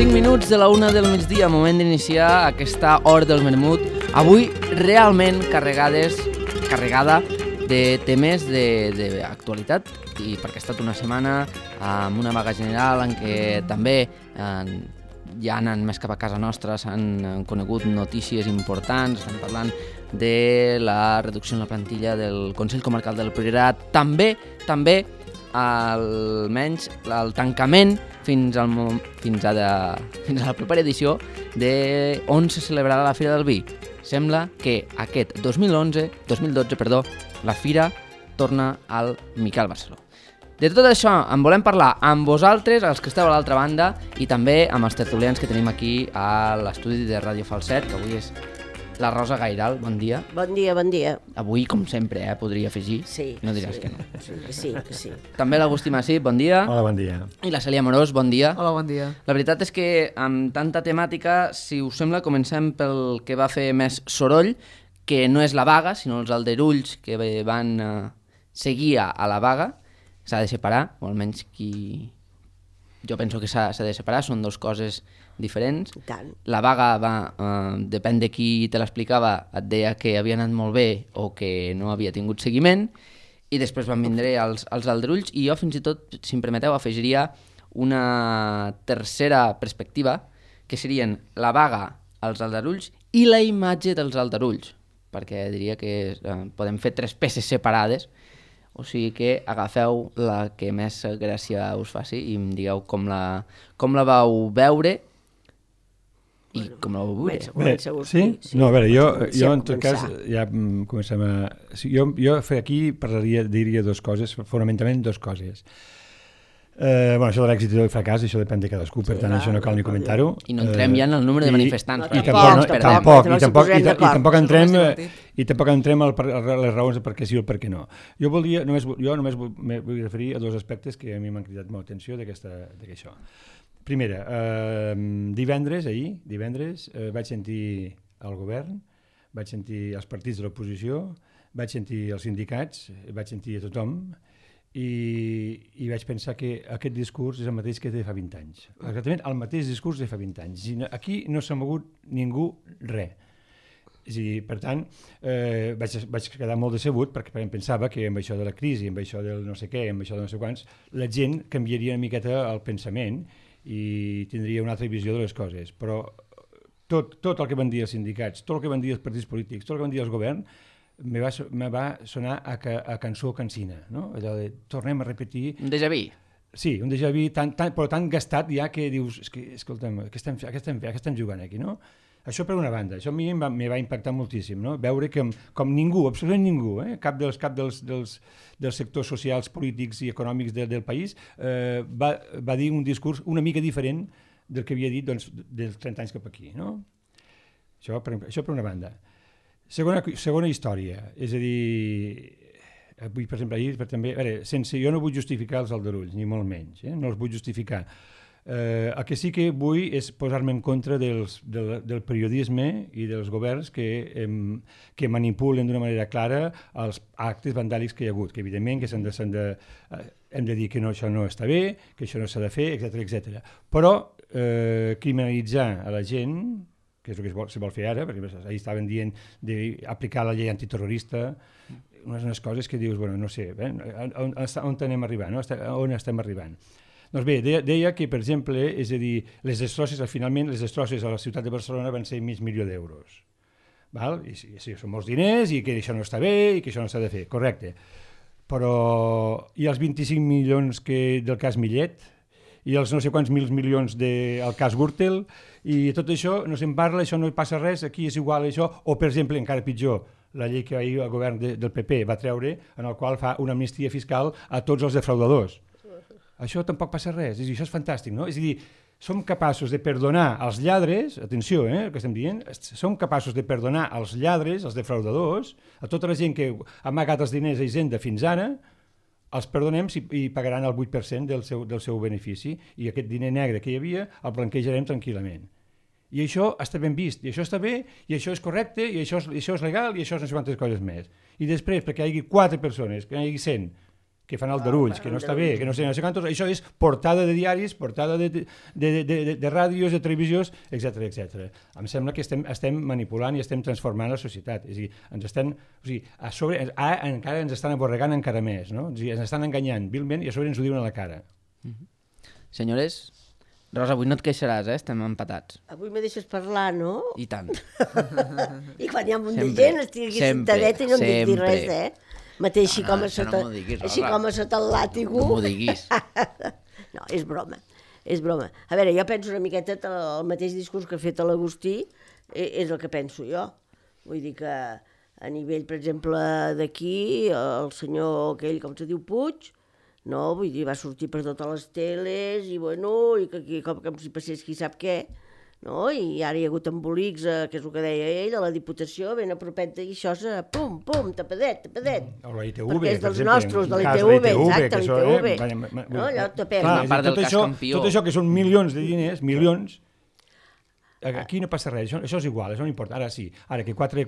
5 minuts de la 1 del migdia, moment d'iniciar aquesta hora del vermut. Avui realment carregada de temes d'actualitat, i perquè ha estat una setmana amb una vaga general en què també ja anant més cap a casa nostra s'han conegut notícies importants. Estem parlant de la reducció en la plantilla del Consell Comarcal del Priorat, també almenys el tancament fins a la propera edició on se celebrarà la Fira del Vi. Sembla que aquest 2012, la Fira torna al Miquel Barceló. De tot això en volem parlar amb vosaltres, els que esteu a l'altra banda, i també amb els tertulians que tenim aquí a l'estudi de Ràdio Falset, que avui és la Rosa Gairal. Bon dia. Bon dia, bon dia. Avui, com sempre, podria afegir. Sí. No diràs que no. Sí. També l'Agustí Massip, bon dia. Hola, bon dia. I la Cèlia Amorós, bon dia. Hola, bon dia. La veritat és que amb tanta temàtica, si us sembla, comencem pel que va fer més soroll, que no és la vaga, sinó els aldarulls que van seguir a la vaga. S'ha de separar, o almenys jo penso que s'ha de separar, són dues coses diferents. La vaga depèn de qui te l'explicava, et deia que havia anat molt bé o que no havia tingut seguiment, i després van vindre els aldarulls, i jo fins i tot, si em permeteu, afegiria una tercera perspectiva, que serien la vaga, els aldarulls i la imatge dels aldarulls, perquè diria que podem fer tres peces separades. O sigui que agafeu la que més gràcia us faci i em digueu com la vau veure i com la vau veure. Bé, sí? No, a veure, jo en tot cas ja comencem a... Jo aquí diria dues coses, fonamentalment dues coses. Això de l'èxit i del fracàs, això depèn de cadascú, per tant això no cal ni comentar-ho. I no entrem ja en el número de manifestants. I tampoc entrem a les raons de per què sí o per què no. Jo només vull referir a dos aspectes que a mi m'han cridat molt atenció d'això. Primera, divendres vaig sentir el govern, vaig sentir els partits de l'oposició, vaig sentir els sindicats, vaig sentir a tothom, i vaig pensar que aquest discurs és el mateix que de fa 20 anys. Exactament el mateix discurs de fa 20 anys. Aquí no s'ha mogut ningú res. Per tant, vaig quedar molt decebut perquè em pensava que amb això de la crisi, amb això del no sé què, amb això de no sé quants, la gent canviaria una miqueta el pensament i tindria una altra visió de les coses. Però tot el que van dir els sindicats, tot el que van dir els partits polítics, tot el que van dir els governs, me va sonar a cançó cansina, no? Allò de tornem a repetir... Un déjà vu. Sí, un déjà vu, però tan gastat ja que dius, escolta'm, què estem jugant aquí, no? Això per una banda, això a mi me va impactar moltíssim, no? Veure que com ningú, absolutament ningú, cap dels sectors socials, polítics i econòmics del país va dir un discurs una mica diferent del que havia dit dels 30 anys cap aquí, no? Això per una banda. Segona història, és a dir, avui, per exemple, jo no vull justificar els aldarulls, ni molt menys, no els vull justificar. El que sí que vull és posar-me en contra del periodisme i dels governs que manipulen d'una manera clara els actes vandàlics que hi ha hagut, que evidentment que hem de dir que això no està bé, que això no s'ha de fer, etc. Però criminalitzar a la gent, que és el que es vol fer ara, perquè ahir estaven dient d'aplicar la llei antiterrorista, unes coses que dius, no sé, on anem arribant, on estem arribant. Doncs bé, deia que, per exemple, és a dir, les destrosses a la ciutat de Barcelona van ser $500.000 d'euros. I sí, són molts diners i que això no està bé i que això no s'ha de fer, correcte. Però i els 25 milions del cas Millet, i els no sé quants milions del cas Gürtel, i tot això no se'n parla, això no passa res, aquí és igual això, o per exemple, encara pitjor, la llei que ahir el govern del PP va treure, en el qual fa una amnistia fiscal a tots els defraudadors. Això tampoc passa res, això és fantàstic, no? És a dir, som capaços de perdonar als lladres, atenció, el que estem dient, som capaços de perdonar als lladres, als defraudadors, a tota la gent que ha amagat els diners a Hisenda fins ara, els perdonem i pagaran el 8% del seu benefici, i aquest diner negre que hi havia el blanquejarem tranquil·lament. I això està ben vist, i això està bé, i això és correcte, i això és legal, i això és no sé quantes coses més. I després, perquè hi hagi 4 persones, que hi hagi 100, que fan aldarulls, que no està bé, que no sé quantos, això és portada de diaris, portada de ràdios, de televisions, etc. Em sembla que estem manipulant i estem transformant la societat. És a dir, encara ens estan aborregant encara més, no? És a dir, ens estan enganyant vilment i a sobre ens ho diuen a la cara. Senyores, Rosa, avui no et queixaràs, estem empatats. Avui me deixes parlar, no? I tant. I quan hi ha un munt de gent estic aquí sentadeta i no em dic dir res, Mateix així com a sota el làtigo. No m'ho diguis. No, és broma. A veure, jo penso una miqueta el mateix discurs que ha fet l'Agustí és el que penso jo. Vull dir que a nivell, per exemple, d'aquí, el senyor aquell, com se diu, Puig, no, vull dir, va sortir per totes les teles i bueno, i que com si passés qui sap què, no? I ara hi ha hagut embolics, que és el que deia ell, a la Diputació, ben a propet i això, pum, tapadet. O la ITV, perquè és dels per exemple, nostres, de l'ITV, exacte, l'ITV. No, allò tapem. Tot això que són milions de diners, milions, aquí no passa res, això és igual, això no importa. Ara sí, ara que quatre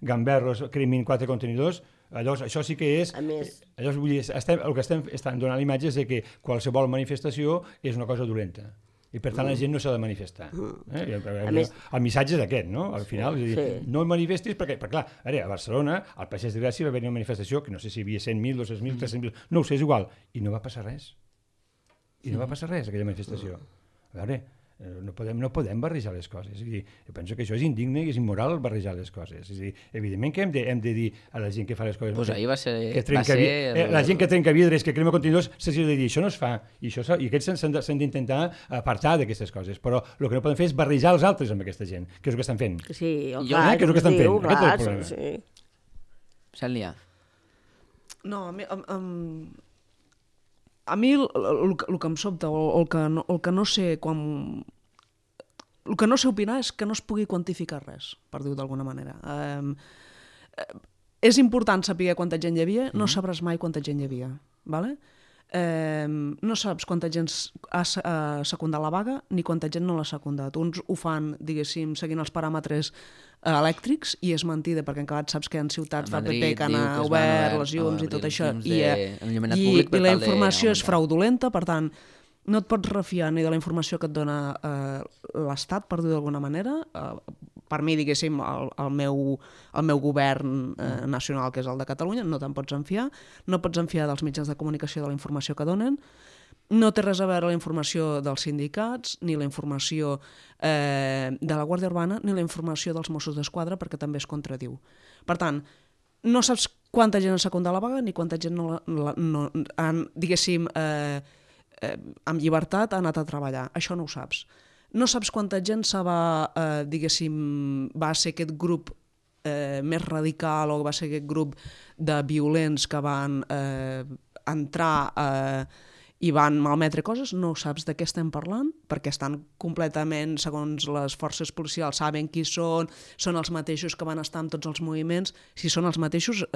gamberros cremin 4 contenidors, llavors això sí que és... A més... Llavors, vull dir, el que estem donant l'imatge és que qualsevol manifestació és una cosa dolenta. I per tant la gent no s'ha de manifestar. El missatge és aquest, no? Al final, és a dir, no manifestis perquè, clar, a Barcelona, al Passeig de Gràcia va haver una manifestació que no sé si hi havia 100.000, 200.000, 300.000, no ho sé, és igual, i no va passar res. Aquella manifestació. A veure, no podem barrejar les coses. És a dir, jo penso que això és indigne i és immoral barrejar les coses. És a dir, evidentment que hem de dir a la gent que fa les coses... Pues ahir va ser... La gent que trenca vidres, que crema contenidors, s'ha de dir, això no es fa. I aquests s'han d'intentar apartar d'aquestes coses. Però el que no podem fer és barrejar els altres amb aquesta gent, que és el que estan fent. Sí, que és el que estan fent. Aquest és el problema. Sí. Cèlia. No, a mi el que em sobta, o el que no sé quan... El que no sé opinar és que no es pugui quantificar res, per dir-ho d'alguna manera. És important saber quanta gent hi havia, no sabràs mai quanta gent hi havia. ¿Vale? No saps quanta gent ha secundat la vaga ni quanta gent no l'ha secundat. Uns ho fan, diguéssim, seguint els paràmetres elèctrics, i és mentida, perquè encara saps que hi ha ciutats del PP que han obert les llums i tot això, i la informació és fraudulenta, per tant, no et pots refiar ni de la informació que et dona l'Estat, per dir-ho d'alguna manera. Per mi, diguéssim, el meu govern nacional, que és el de Catalunya, no te'n pots enfiar. No pots enfiar dels mitjans de comunicació de la informació que donen. No té res a veure la informació dels sindicats, ni la informació de la Guàrdia Urbana, ni la informació dels Mossos d'Esquadra, perquè també es contradiu. Per tant, no saps quanta gent ha secundat la vaga, ni quanta gent no han, diguéssim, amb llibertat ha anat a treballar. Això no ho saps. No saps quanta gent va ser aquest grup més radical, o va ser aquest grup de violents que van entrar i van malmetre coses. No saps de què estem parlant, perquè estan completament, segons les forces policials, saben qui són els mateixos que van estar en tots els moviments. Si són els mateixos...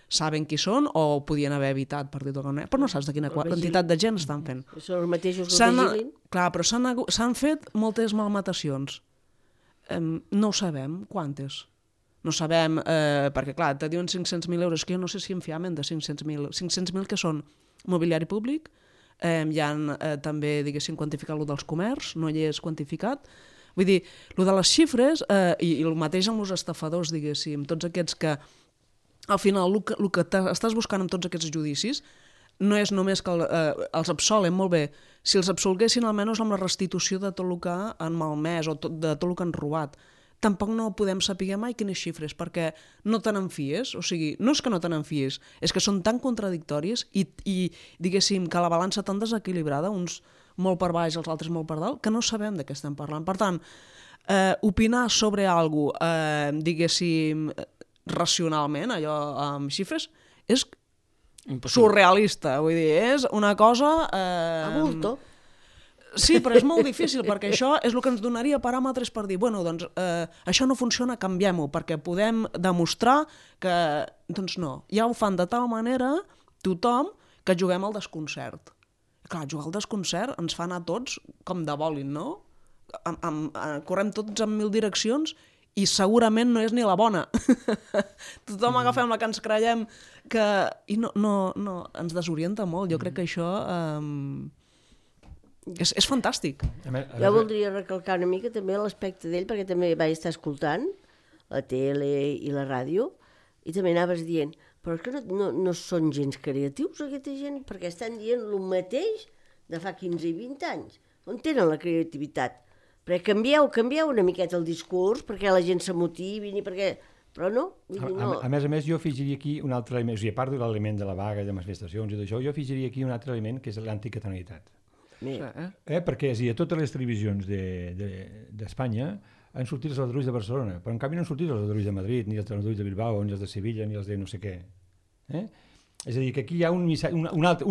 saben qui són o ho podien haver evitat, per dir-ho d'alguna manera, però no saps de quina quantitat de gent estan fent. Són els mateixos que vigilin? Clar, però s'han fet moltes malmatacions. No ho sabem, quantes? No sabem, perquè clar, te diuen 500.000 euros, que jo no sé si en fiamen de 500.000. 500.000 que són mobiliari públic, hi ha també, diguéssim, quantificat lo dels comerç, no hi és quantificat. Vull dir, lo de les xifres, i el mateix amb els estafadors, diguéssim, tots aquests que al final, el que estàs buscant amb tots aquests judicis no és només que els absolen, molt bé, si els absolguessin almenys amb la restitució de tot el que han malmès o de tot el que han robat. Tampoc no podem saber mai quines xifres, perquè no te n'enfies, o sigui, no és que no te n'enfies, és que són tan contradictòries i diguéssim que la balança tan desequilibrada, uns molt per baix, els altres molt per dalt, que no sabem de què estem parlant. Per tant, opinar sobre alguna cosa, diguéssim, racionalment, allò amb xifres, és surrealista, vull dir, és una cosa... A bulto. Sí, però és molt difícil, perquè això és el que ens donaria paràmetres per dir, bueno, doncs, això no funciona, canviem-ho, perquè podem demostrar que, doncs no, ja ho fan de tal manera, tothom, que juguem al desconcert. Clar, jugar al desconcert ens fa anar tots com de bòlin, no? Correm tots en 1000 direccions i segurament no és ni la bona. Tothom agafem la que ens creiem i no, ens desorienta molt. Jo crec que això és fantàstic. Jo voldria recalcar una mica també l'aspecte d'ell, perquè també vaig estar escoltant la tele i la ràdio, i també anaves dient, però és que no són gens creatius aquesta gent, perquè estan dient el mateix de fa 15 i 20 anys. On tenen la creativitat? Perquè canvieu una miqueta el discurs, perquè la gent s'amotivin i perquè... Però no. A més, jo afegiria aquí un altre element, o sigui, a part de l'element de la vaga, de manifestacions i d'això, jo afegiria aquí un altre element, que és l'anticatalanitat. Perquè a totes les televisions d'Espanya han sortit els aldarulls de Barcelona, però en canvi no han sortit els aldarulls de Madrid, ni els aldarulls de Bilbao, ni els de Sevilla, ni els de no sé què. És a dir, que aquí hi ha un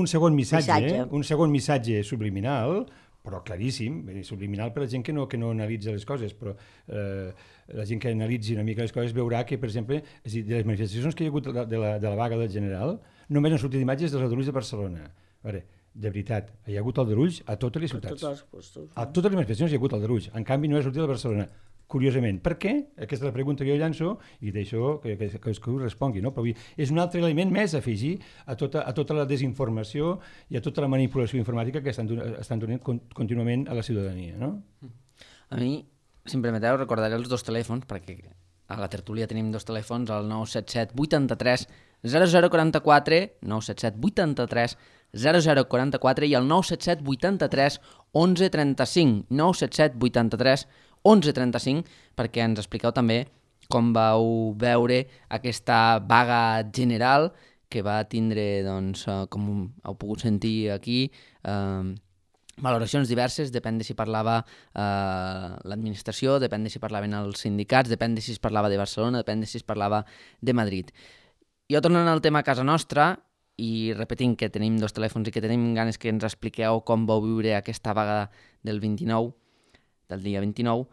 segon missatge, un segon missatge subliminal, però claríssim, subliminal per la gent que no analitza les coses, però la gent que analitzi una mica les coses veurà que, per exemple, és a dir, de les manifestacions que hi ha hagut de la vaga del general, només han sortit imatges dels aldarulls de Barcelona. A veure, de veritat, hi ha hagut aldarulls a totes les ciutats. A totes les manifestacions hi ha hagut aldarulls, en canvi no ha sortit a Barcelona. Curiosament. Per què? Aquesta és la pregunta que jo llanço i deixo que ho respongui. No? Però és un altre element més a afegir a tota la desinformació i a tota la manipulació informàtica que estan donant contínuament a la ciutadania. No? A mi, si em permeteu, recordaré els dos telèfons, perquè a la tertúlia tenim dos telèfons, el 977 83 0044, 977 83 0044 i el 977 83 1135, 977 83 11.35, perquè ens expliqueu també com vau veure aquesta vaga general que va tindre, doncs, com heu pogut sentir aquí, valoracions diverses, depèn de si parlava l'administració, depèn de si parlaven els sindicats, depèn de si es parlava de Barcelona, depèn de si es parlava de Madrid. Jo tornant al tema a casa nostra, i repetint que tenim dos telèfons i que tenim ganes que ens expliqueu com vau viure aquesta vaga del dia 29,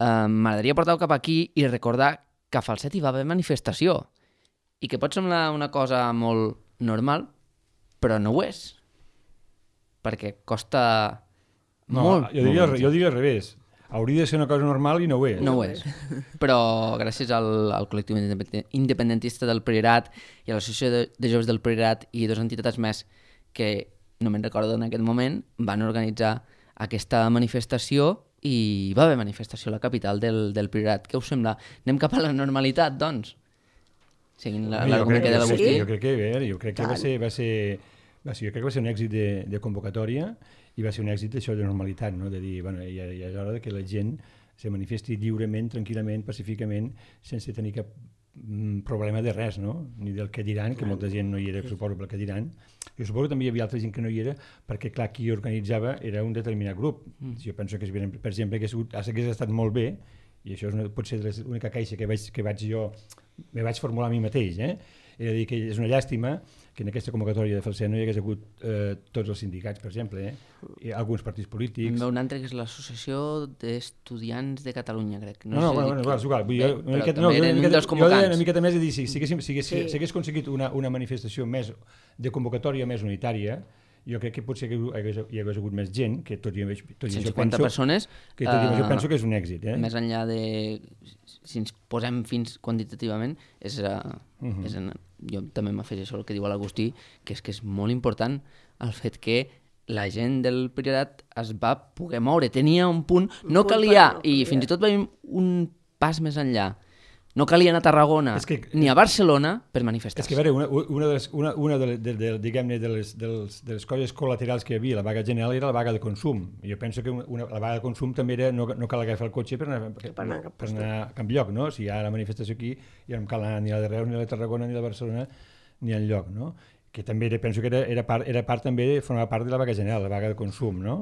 m'agradaria portar-ho cap aquí i recordar que a Falset hi va haver manifestació i que pot semblar una cosa molt normal, però no ho és, perquè costa molt. Jo diria al revés. Hauria de ser una cosa normal i no ho és. No ho és. Però gràcies al col·lectiu independentista del Priorat i a l'Associació de Joves del Priorat i dues entitats més que, no me'n recordo en aquest moment, van organitzar aquesta manifestació i va haver manifestació a la capital del Priorat. Què us sembla? Anem cap a la normalitat, doncs? Seguint l'argument de l'Agustí. Jo crec que va ser un èxit de convocatòria i va ser un èxit això de normalitat, no? De dir, bueno, ja és hora que la gent se manifesti lliurement, tranquil·lament, pacíficament, sense tenir cap problema de res, no? Ni del que diran, que molta gent no hi era, suposo, pel que diran. Jo suposo que també hi havia altra gent que no hi era, perquè, clar, qui organitzava era un determinat grup. Jo penso que, per exemple, que hagués estat molt bé, i això pot ser l'única queixa que me vaig formular a mi mateix, és a dir, que és una llàstima que en aquesta convocatòria de Falset no hi hagués hagut tots els sindicats, per exemple, i alguns partits polítics. Un altre que és l'Associació d'Estudiants de Catalunya, crec. No, és igual. Jo una miqueta més de dir, si s'hagués aconseguit una manifestació més de convocatòria més unitària, jo crec que potser hi hagués hagut més gent, que tot i això persones, jo penso que és un èxit. Més enllà de... Si ens posem fins quantitativament, jo també m'afegeixo el que diu l'Agustí, que és molt important el fet que la gent del Priorat es va poder moure. Tenia un punt... No calia, i fins i tot veiem un pas més enllà. No calia anar a Tarragona ni a Barcelona per manifestar-se. És que, a veure, una de les coses col·laterals que hi havia la vaga general era la vaga de consum. Jo penso que la vaga de consum també era no cal agafar el cotxe per anar a cap lloc, no? Si hi ha la manifestació aquí, ja no cal anar ni a la de Reus, ni a la de Tarragona, ni a la de Barcelona, ni enlloc, no? Que també penso que era part també, formava part de la vaga general, la vaga de consum, no?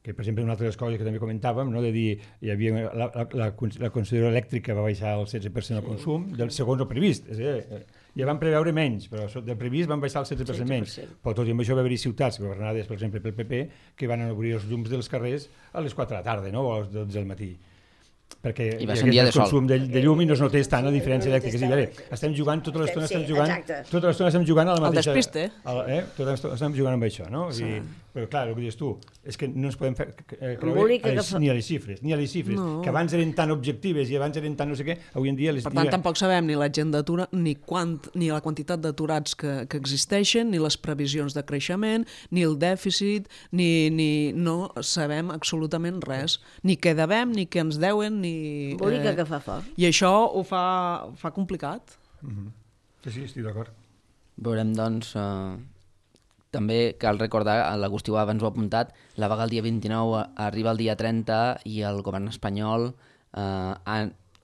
Que, per exemple, una altra de les coses que també comentàvem, no? De dir, hi havia la concessió elèctrica va baixar el 16% del consum, segons el previst. Ja van preveure menys, però del previst van baixar el 16% menys. Però tot i amb això va haver-hi ciutats governades, per exemple, pel PP, que van obrir els llums dels carrers a les 4 de la tarda, no? O a les 12 del matí. Perquè hi ha aquest consum de llum i no es notés tant la diferència elèctrica. Estem jugant, tota l'estona estem jugant a la mateixa... El despiste. Tota l'estona estem jugant amb això, no? Però clar, el que dius tu, és que no ens podem creure ni a les xifres, No. que abans eren tan objectives i abans eren tan no sé què, avui en dia les... Per tant, tampoc sabem ni la gent d'atura, ni la quantitat d'aturats que existeixen, ni les previsions de creixement, ni el dèficit, ni no sabem absolutament res. Ni què devem, ni què ens deuen, ni... Embolica que fa fort. I això ho fa complicat. Sí, estic d'acord. Veurem, doncs, també cal recordar, l'Agustí abans ho ha apuntat, la vaga el dia 29 arriba el dia 30 i el govern espanyol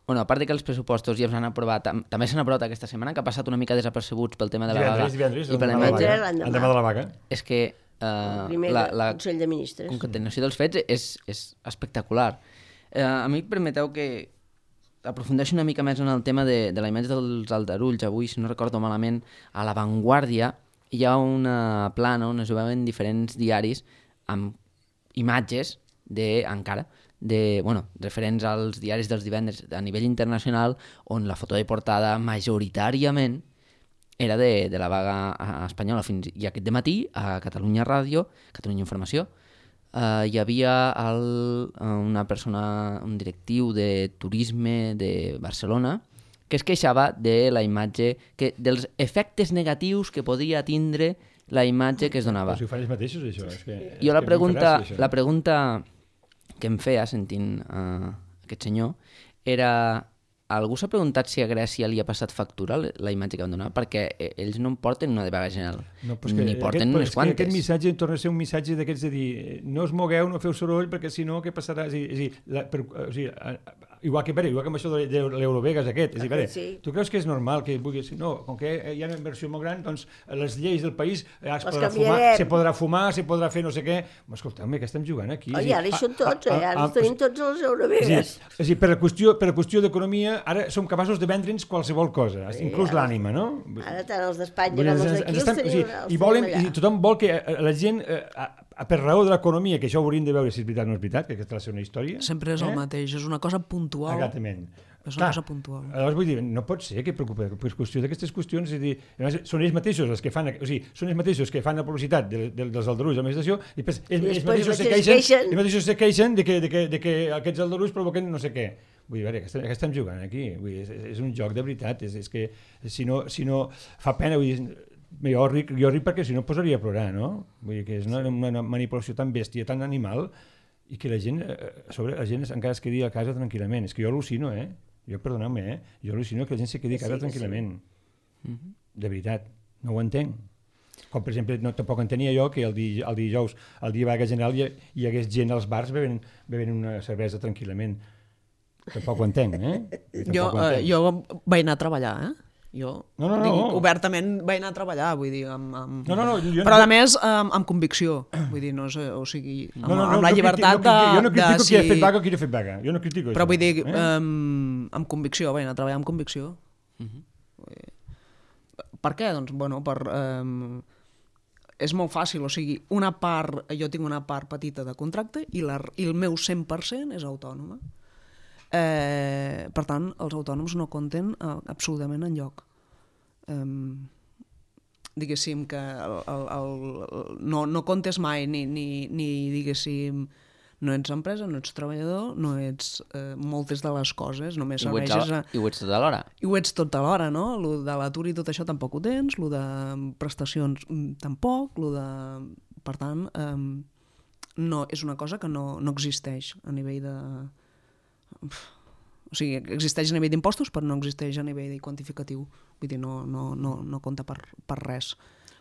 bueno, a part de que els pressupostos ja s'han aprovat, també s'han aprovat aquesta setmana, que ha passat una mica desapercebuts pel tema de la vaga divendres, i per la imatge. L'endemà de la vaga. És que la Consell de Ministres. concatenació dels fets és espectacular. A mi permeteu que aprofundeixi una mica més en el tema de la imatge dels aldarulls. Avui, si no recordo malament, a La Vanguardia hi ha una plana on es veuen diferents diaris amb imatges referents als diaris dels divendres a nivell internacional, on la foto de portada majoritàriament era de la vaga espanyola. I aquest dematí, a Catalunya Ràdio, Catalunya Informació, hi havia una persona, un directiu de turisme de Barcelona, que es queixava de la imatge, dels efectes negatius que podia tindre la imatge que es donava. Però si ho fan ells mateixos, això. Jo la pregunta que em feia sentint aquest senyor era: algú s'ha preguntat si a Grècia li ha passat factura la imatge que van donar? Perquè ells no en porten una de vaga general, ni porten unes quantes. Aquest missatge torna a ser un missatge d'aquests de dir no us mogueu, no feu soroll, perquè si no, què passarà? Igual que amb això de l'Eurovegas aquest. Tu creus que és normal que vulguis... No, com que hi ha una inversió molt gran, doncs les lleis del país se podrà fumar, se podrà fer no sé què... Escolta'm, què estem jugant aquí? Oi, ara hi són tots, ara tenim tots els Eurovegas. És a dir, per la qüestió d'economia, ara som capaços de vendre'ns qualsevol cosa, inclús l'ànima, no? Ara tant els d'Espanya com els d'aquí els tenim allà. I tothom vol que la gent, per raó de l'economia, que això ho hauríem de veure si és veritat o no és veritat, que aquesta ha de ser una història... Sempre és el mateix, és una cosa puntual. Exactament. És una cosa puntual. Aleshores vull dir, no pot ser que preocupi per qüestió d'aquestes qüestions, és a dir, són ells mateixos els que fan, són ells mateixos que fan la publicitat dels aldarulls de l'administració i ells mateixos se queixen de que aquests aldarulls provoquen no sé què. Vull dir, què estem jugant aquí? Vull dir, és un joc de veritat, és que si no fa pena, vull dir, jo ric perquè si no em posaria a plorar, no? Vull dir que és una manipulació tan bèstia, tan animal, i que la gent encara es quedi a casa tranquil·lament. És que jo al·lucino, jo perdoneu-me, jo al·lucino que la gent se quedi a casa tranquil·lament. De veritat, no ho entenc. Com per exemple, tampoc entenia jo que el dijous, el dia vaga general, hi hagués gent als bars bevent una cervesa tranquil·lament. Tampoc ho entenc, Jo vaig anar a treballar, Jo obertament vaig anar a treballar, vull dir, però a més amb convicció, vull dir, no sé, o sigui, amb la llibertat de... Jo no critico qui ha fet vaga o qui no ha fet vaga, jo no critico això. Però vull dir, amb convicció, vaig anar a treballar amb convicció. Per què? Doncs, és molt fàcil, o sigui, jo tinc una part petita de contracte i el meu 100% és autònoma. Per tant, els autònoms no compten absolutament enlloc. Diguéssim que no comptes mai ni diguéssim, no ets empresa, no ets treballador, no ets moltes de les coses, només serveixes I ho ets tot alhora. I ho ets tot alhora, no? Lo de l'atur i tot això tampoc ho tens, lo de prestacions tampoc, per tant, no, és una cosa que no existeix a nivell de... O sigui, existeix a nivell d'impostos, però no existeix a nivell quantificatiu. Vull dir, no compta per res.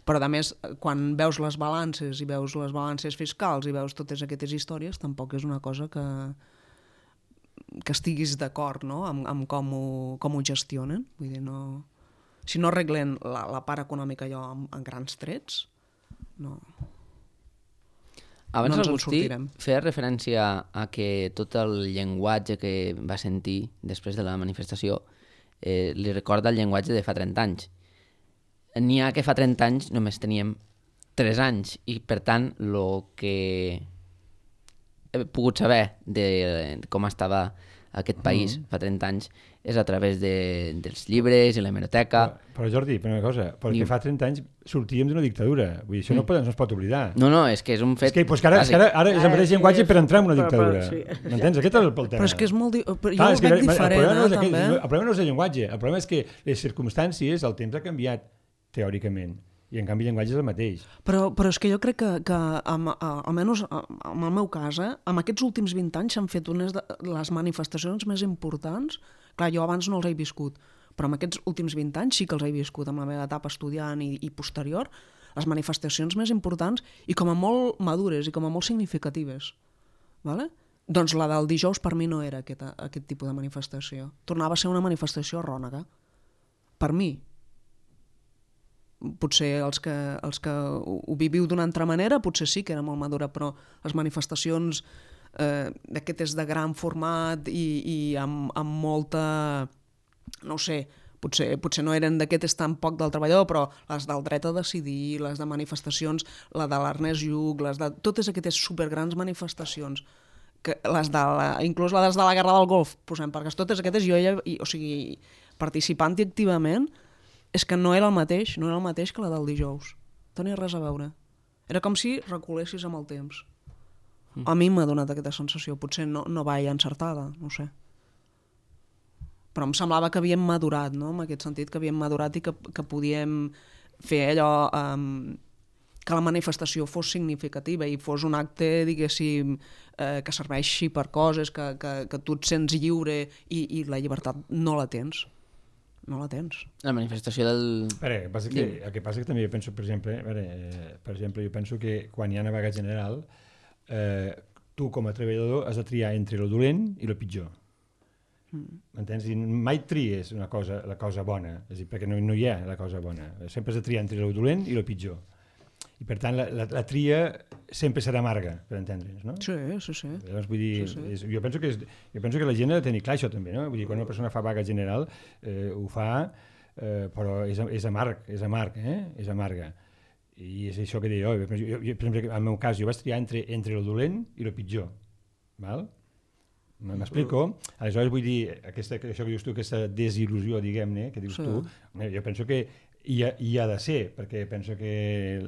Però, a més, quan veus les balances i veus les balances fiscals i veus totes aquestes històries, tampoc és una cosa que estiguis d'acord, no?, amb com ho gestionen. Vull dir, si no arreglen la part econòmica allò en grans trets, no... Abans l'Agustí feia referència a que tot el llenguatge que va sentir després de la manifestació li recorda el llenguatge de fa 30 anys. N'hi ha que fa 30 anys només teníem 3 anys i, per tant, el que he pogut saber de com estava aquest país fa 30 anys és a través dels llibres i l'hemeroteca. Però Jordi, per una cosa, perquè fa 30 anys sortíem d'una dictadura. Vull dir, això no es pot oblidar. No, és que és un fet... És que ara és el mateix llenguatge per entrar en una dictadura. M'entens? Aquest és el tema. Però és que és molt... Jo ho veig diferent, també. El problema no és el llenguatge, el problema és que les circumstàncies, el temps ha canviat, teòricament. I en canvi el llenguatge és el mateix. Però és que jo crec que almenys en el meu cas, en aquests últims 20 anys s'han fet unes de les manifestacions més importants. Clar, jo abans no els he viscut, però en aquests últims 20 anys sí que els he viscut, amb la meva etapa estudiant i posterior, les manifestacions més importants i com a molt madures i com a molt significatives. Vale? Doncs la del dijous per mi no era aquest tipus de manifestació. Tornava a ser una manifestació rònega. Per mi. Potser els que ho viviu d'una altra manera, potser sí que era molt madura, però les manifestacions d'aquestes de gran format i amb molta, no ho sé, potser no eren d'aquestes tan poc del treballador, però les del dret a decidir, les de manifestacions, la de l'Ernest Lluch, les de totes aquestes supergrans manifestacions, que inclús les de la Guerra del Golf, posem, perquè totes aquestes o sigui, participant activament, és que no era el mateix que la del dijous. Tenia res a veure. Era com si reculessis amb el temps. A mi m'ha donat aquesta sensació. Potser no vaig encertada, no ho sé. Però em semblava que havíem madurat, no? En aquest sentit, que havíem madurat i que podíem fer allò... que la manifestació fos significativa i fos un acte, diguéssim, que serveixi per coses, que tu et sents lliure i la llibertat no la tens. No la tens. La manifestació del... El que passa que també jo penso, per exemple, jo penso que quan hi ha una vaga general, tu com a treballador has de triar entre lo dolent i lo pitjor. M'entens? I mai tries la cosa bona, és a dir, perquè no hi ha la cosa bona. Sempre has de triar entre lo dolent i lo pitjor. I per tant la tria sempre serà amarga, per entendre'ns, no? Sí. Llavors, vull dir, sí. Jo penso que la gent ha de tenir clar això també, no? Vull dir, quan una persona fa vaga general ho fa, però és amarg, és amarga. I és això que deia jo. Per exemple, en el meu cas, jo vaig triar entre el dolent i el pitjor. Val? M'explico? Aleshores vull dir, això que dius tu, aquesta desil·lusió, diguem-ne, que dius tu, jo penso que hi ha de ser, perquè penso que...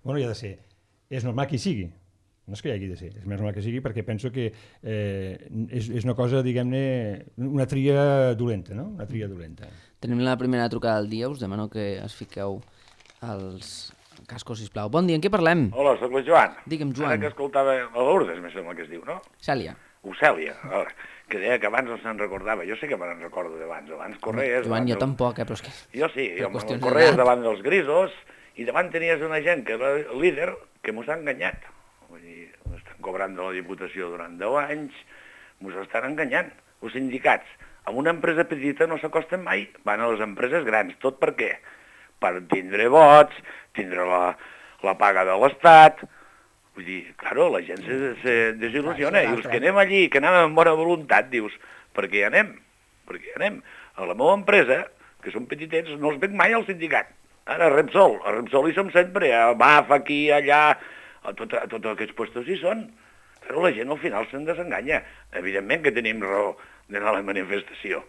Bueno, hi ha de ser. És normal que hi sigui. No és que hi hagi de ser, és més normal que sigui perquè penso que és una cosa, diguem-ne, una tria dolenta, no? Una tria dolenta. Tenim la primera trucada del dia, us demano que es fiqueu als cascos, sisplau. Bon dia, en què parlem? Hola, soc el Joan. Digue'm, Joan. Ara que escoltava a Lourdes, me sembla que es diu, no? Cèlia. Cèlia, que deia que abans no se'n recordava. Jo sé que me'n recordo d'abans. Abans correies... Joan, jo tampoc, però és que... Jo sí, correies davant dels grisos i davant tenies una gent que era líder que mos ha enganyat. Vull dir, estan cobrant de la Diputació durant 10 anys, mos estan enganyant. Els sindicats, amb una empresa petita no s'acosten mai, van a les empreses grans. Tot per què? Per tindre vots, tindre la paga de l'Estat... Vull dir, claro, la gent se desil·lusiona i els que anem allí, que anem amb bona voluntat, dius, per què hi anem? Per què hi anem? A la meva empresa, que són petitets, no els veig mai al sindicat. Ara, a Repsol hi som sempre, a BAF, aquí, allà, a tots aquests puestos hi són. Però la gent al final se'n desenganya. Evidentment que tenim raó d'anar a la manifestació.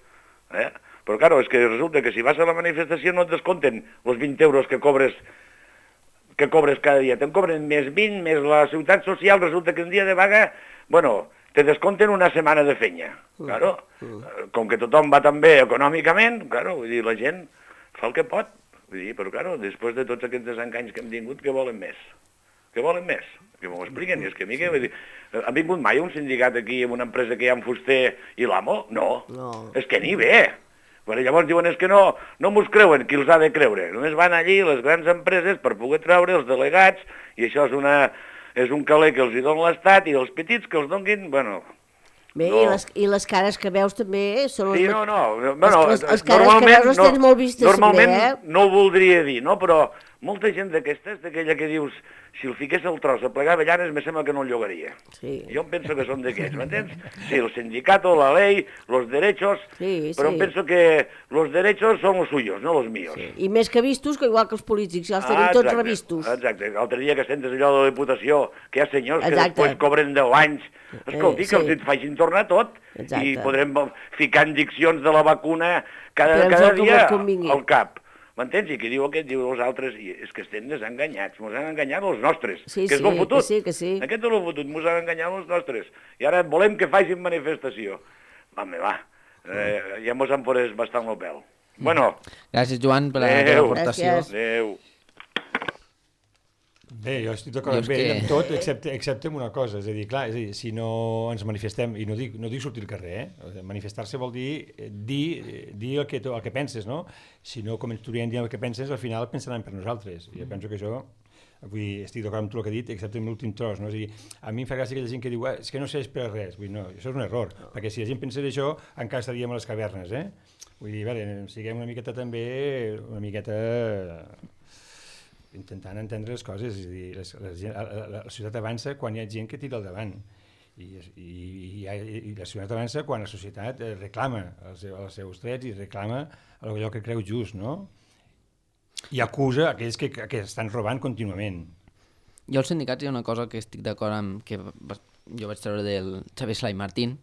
Però, claro, és que resulta que si vas a la manifestació no et descompten els 20 euros que cobres cada dia. Te'n cobren més 20, més la ciutat social, resulta que un dia de vaga, bueno, te descompten una setmana de fenya. Claro, com que tothom va tan bé econòmicament, claro, vull dir, la gent fa el que pot. Vull dir, però, claro, després de tots aquests desenganys que hem tingut, què volen més? Què volen més? Que m'ho expliquen. I és que a mi, vull dir, ha vingut mai un sindicat aquí amb una empresa que hi ha un fuster i l'amo? No. És que ni bé. Però llavors diuen és que no mos creuen, qui els ha de creure? Només van allí les grans empreses per poder treure els delegats i això és un caler que els hi dona l'Estat i els petits que els donguin, bueno... Bé, no. I les cares que veus també són... Sí, les cares que veus les tens molt vistes. Normalment no ho voldria dir, no? Però molta gent d'aquestes, d'aquella que dius, si el fiqués al tros a plegar avellanes, me sembla que no el llogaria. Sí. Jo em penso que són d'aquests, m'entens? Sí, el sindicato, la ley, los derechos, però em penso que los derechos son los suyos, no los míos. Sí. I més que vistos, que igual que els polítics, ja els tenim tots revistos. Exacte, l'altre dia que sentes allò de la Diputació, que hi ha senyors que després cobren 10 anys, escolti, que els facin tornar tot, i podrem ficar indiccions de la vacuna cada dia al cap. M'entens? I qui diu aquest, diu els altres, i és que estem desenganyats, mos han enganyat els nostres, que és lo fotut. Que sí. Aquest és lo fotut, mos han enganyat els nostres. I ara volem que facin manifestació. Va, ja mos han posat bastant el pèl. Bueno. Gràcies, Joan, per la teva aportació. Adéu. Bé, jo estic d'acord amb ell amb tot, excepte amb una cosa, és a dir, clar, si no ens manifestem, i no dic sortir al carrer, manifestar-se vol dir el que penses, no? Si no començaríem dient el que penses, al final pensaran per nosaltres. Jo penso que això, estic d'acord amb tot el que he dit, excepte amb l'últim tros, no? És a dir, a mi em fa gràcia aquella gent que diu és que no serveix per res, vull dir, no, això és un error, perquè si la gent pensés això, encara estaríem a les cavernes, Vull dir, a veure, siguem una miqueta també, intentant entendre les coses, és a dir, la societat avança quan hi ha gent que tira al davant i la societat avança quan la societat reclama els seus drets i reclama allò que creu just, no? I acusa aquells que estan robant contínuament. Jo als sindicats hi ha una cosa que estic d'acord amb, que jo vaig treure del Xavier Sala i Martín,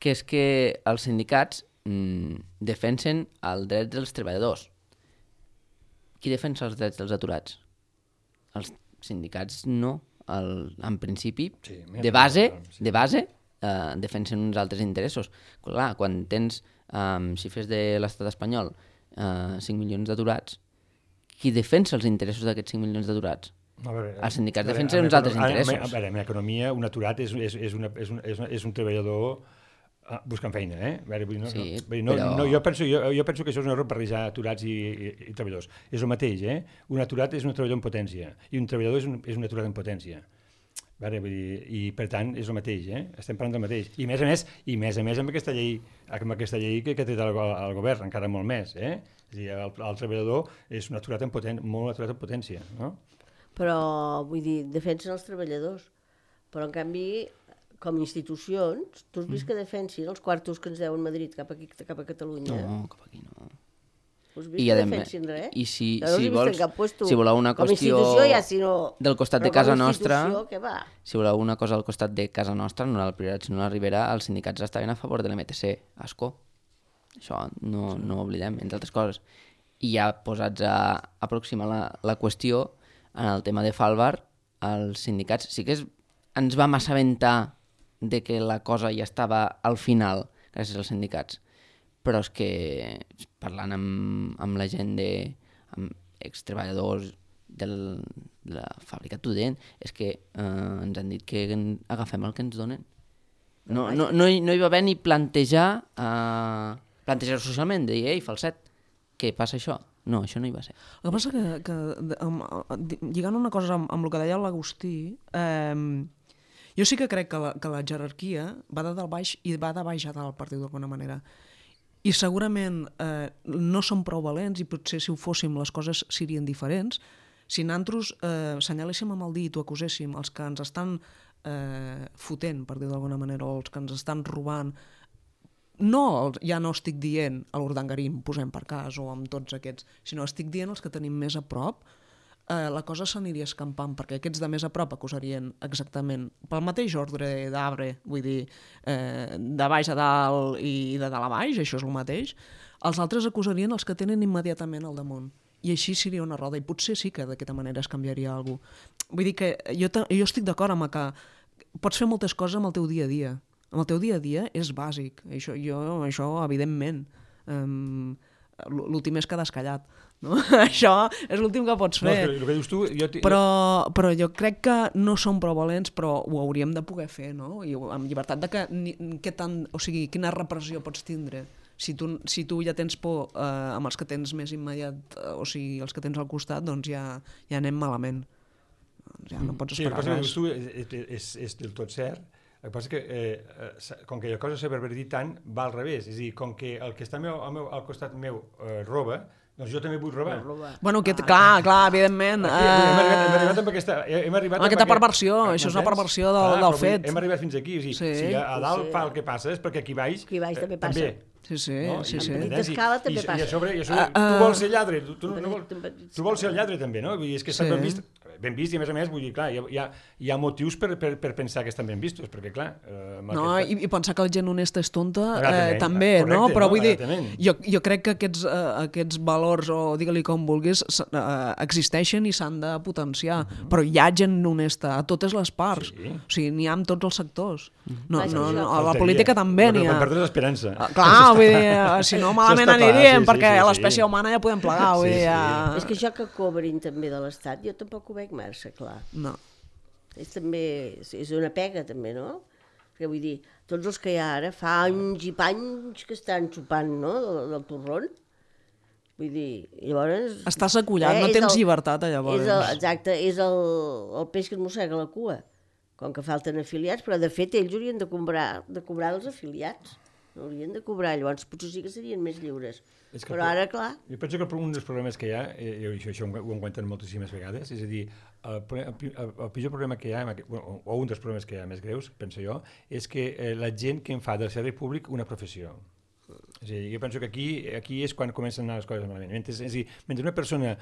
que és que els sindicats defensen els drets dels treballadors. Qui defensa els drets dels aturats? Els sindicats no. En principi, de base, defensen uns altres interessos. Clar, quan tens xifres de l'estat espanyol, 5 milions d'aturats, qui defensa els interessos d'aquests 5 milions d'aturats? Els sindicats defensen uns altres interessos. A veure, en l'economia, un aturat és un treballador buscant feina, Jo penso que això és un error barrejar aturats i treballadors. És el mateix, Un aturat és un treballador en potència i un treballador és un aturat en potència. I per tant és el mateix, estem parlant del mateix. I a més amb aquesta llei que té el govern, encara molt més, És a dir, el treballador és un aturat molt aturat en potència, no? Però, vull dir, defensen els treballadors, però en canvi com a institucions, tu has vist que defensin els quartos que ens deuen Madrid cap a Catalunya? No, cap aquí no. Has vist que defensin res? I si voleu una qüestió del costat de casa nostra, si voleu una cosa al costat de casa nostra, no al Priorat sinó a la Ribera, els sindicats estaven a favor de l'MTC, Ascó. Això no ho oblidem, entre altres coses. I ja posats a aproximar la qüestió, en el tema de Falbar, els sindicats sí que ens vam assabentar de que la cosa ja estava al final gràcies als sindicats, però és que parlant amb la gent amb extreballadors de la fàbrica Tudent, és que ens han dit que agafem el que ens donen. No hi va haver ni plantejar socialment, de dir, ei, falset, què passa això? No, això no hi va ser. El que passa que, lligant una cosa amb el que deia l'Agustí, jo sí que crec que la jerarquia va de dalt baix i va de baix a dalt, per dir d'alguna manera. I segurament no som prou valents i potser si ho fóssim les coses serien diferents. Si nosaltres senyaléssim amb el dit o acuséssim els que ens estan fotent, per dir d'alguna manera, o els que ens estan robant, ja no estic dient a l'Urdangarín, posem per cas, o amb tots aquests, sinó estic dient els que tenim més a prop, la cosa s'aniria escampant, perquè aquests de més a prop acusarien exactament pel mateix ordre d'arbre, vull dir, de baix a dalt i de dalt a baix, això és el mateix. Els altres acusarien els que tenen immediatament al damunt. I així seria una roda, i potser sí que d'aquesta manera es canviaria alguna cosa. Vull dir que jo estic d'acord amb que pots fer moltes coses amb el teu dia a dia. Amb el teu dia a dia és bàsic, això evidentment. L'últim és quedar escallat, no? Això és l'últim que pots fer. No, el que dius tu, però jo crec que no som prou valents, però ho hauríem de poder fer, no? I amb llibertat de quina repressió pots tindre. Si tu ja tens por amb els que tens més immediat, o sigui, els que tens al costat, doncs ja anem malament. Ja no pots esperar res. Sí, el que dius tu és del tot cert. El que passa que, com que la cosa s'ha pervertit tant, va al revés. És a dir, com que el que està al costat meu roba, Doncs jo també vull robar. Bueno, clar, evidentment. Hem arribat amb aquesta perversió, això és una perversió del fet. Hem arribat fins aquí, o sigui, si a dalt fa el que passa és perquè aquí baix també passa. Sí. En petita escala també passa. I a sobre tu vols ser lladre, tu vols ser el lladre també, no? Vull dir, és que estan ben vist i a més, vull dir, clar, hi ha motius per pensar que estan ben vistos, perquè clar... No, i pensar que la gent honesta és tonta també, no? Però vull dir, jo crec que aquests valors, o digue-li com vulguis, existeixen i s'han de potenciar, però hi ha gent honesta a totes les parts, o sigui, n'hi ha en tots els sectors. A la política també n'hi ha. Per perdre l'esperança. Clar, vull dir, si no malament aniríem, perquè l'espècie humana ja podem plegar, vull dir... És que això que cobrin també de l'Estat, jo tampoc ho veig massa, clar. No. És també, és una pega també, no? Perquè vull dir, tots els que hi ha ara, fa anys i panys que estan xupant, no?, del torrón. Vull dir, llavors... Estàs acollat, no tens llibertat, llavors. Exacte, és el peix que et mossega la cua. Com que falten afiliats, però de fet ells haurien de cobrar els afiliats. No haurien de cobrar, llavors potser sí que serien més lliures. Però ara, clar... Jo penso que un dels problemes que hi ha, i això ho encuentren moltíssimes vegades, és a dir, el pitjor problema que hi ha, o un dels problemes que hi ha més greus, penso jo, és que la gent que en fa del servei públic una professió. És a dir, jo penso que aquí és quan comencen a anar les coses malament. És a dir, mentre una persona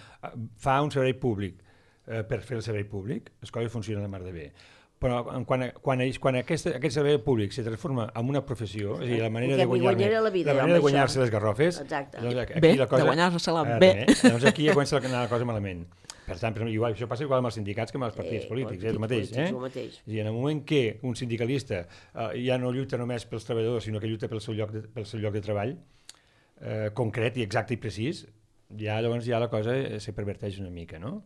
fa un servei públic per fer el servei públic, les coses funcionen de mar de bé. Però quan aquest servei públic se transforma en una professió, és a dir, la manera de guanyar-se les garrofes, de guanyar-se-la bé, doncs aquí ja comença a anar la cosa malament. Per tant, això passa igual amb els sindicats que amb els partits polítics, és el mateix. És a dir, en el moment que un sindicalista ja no lluita només pels treballadors, sinó que lluita pel seu lloc de treball concret i exacte i precís, llavors ja la cosa se perverteix una mica, no?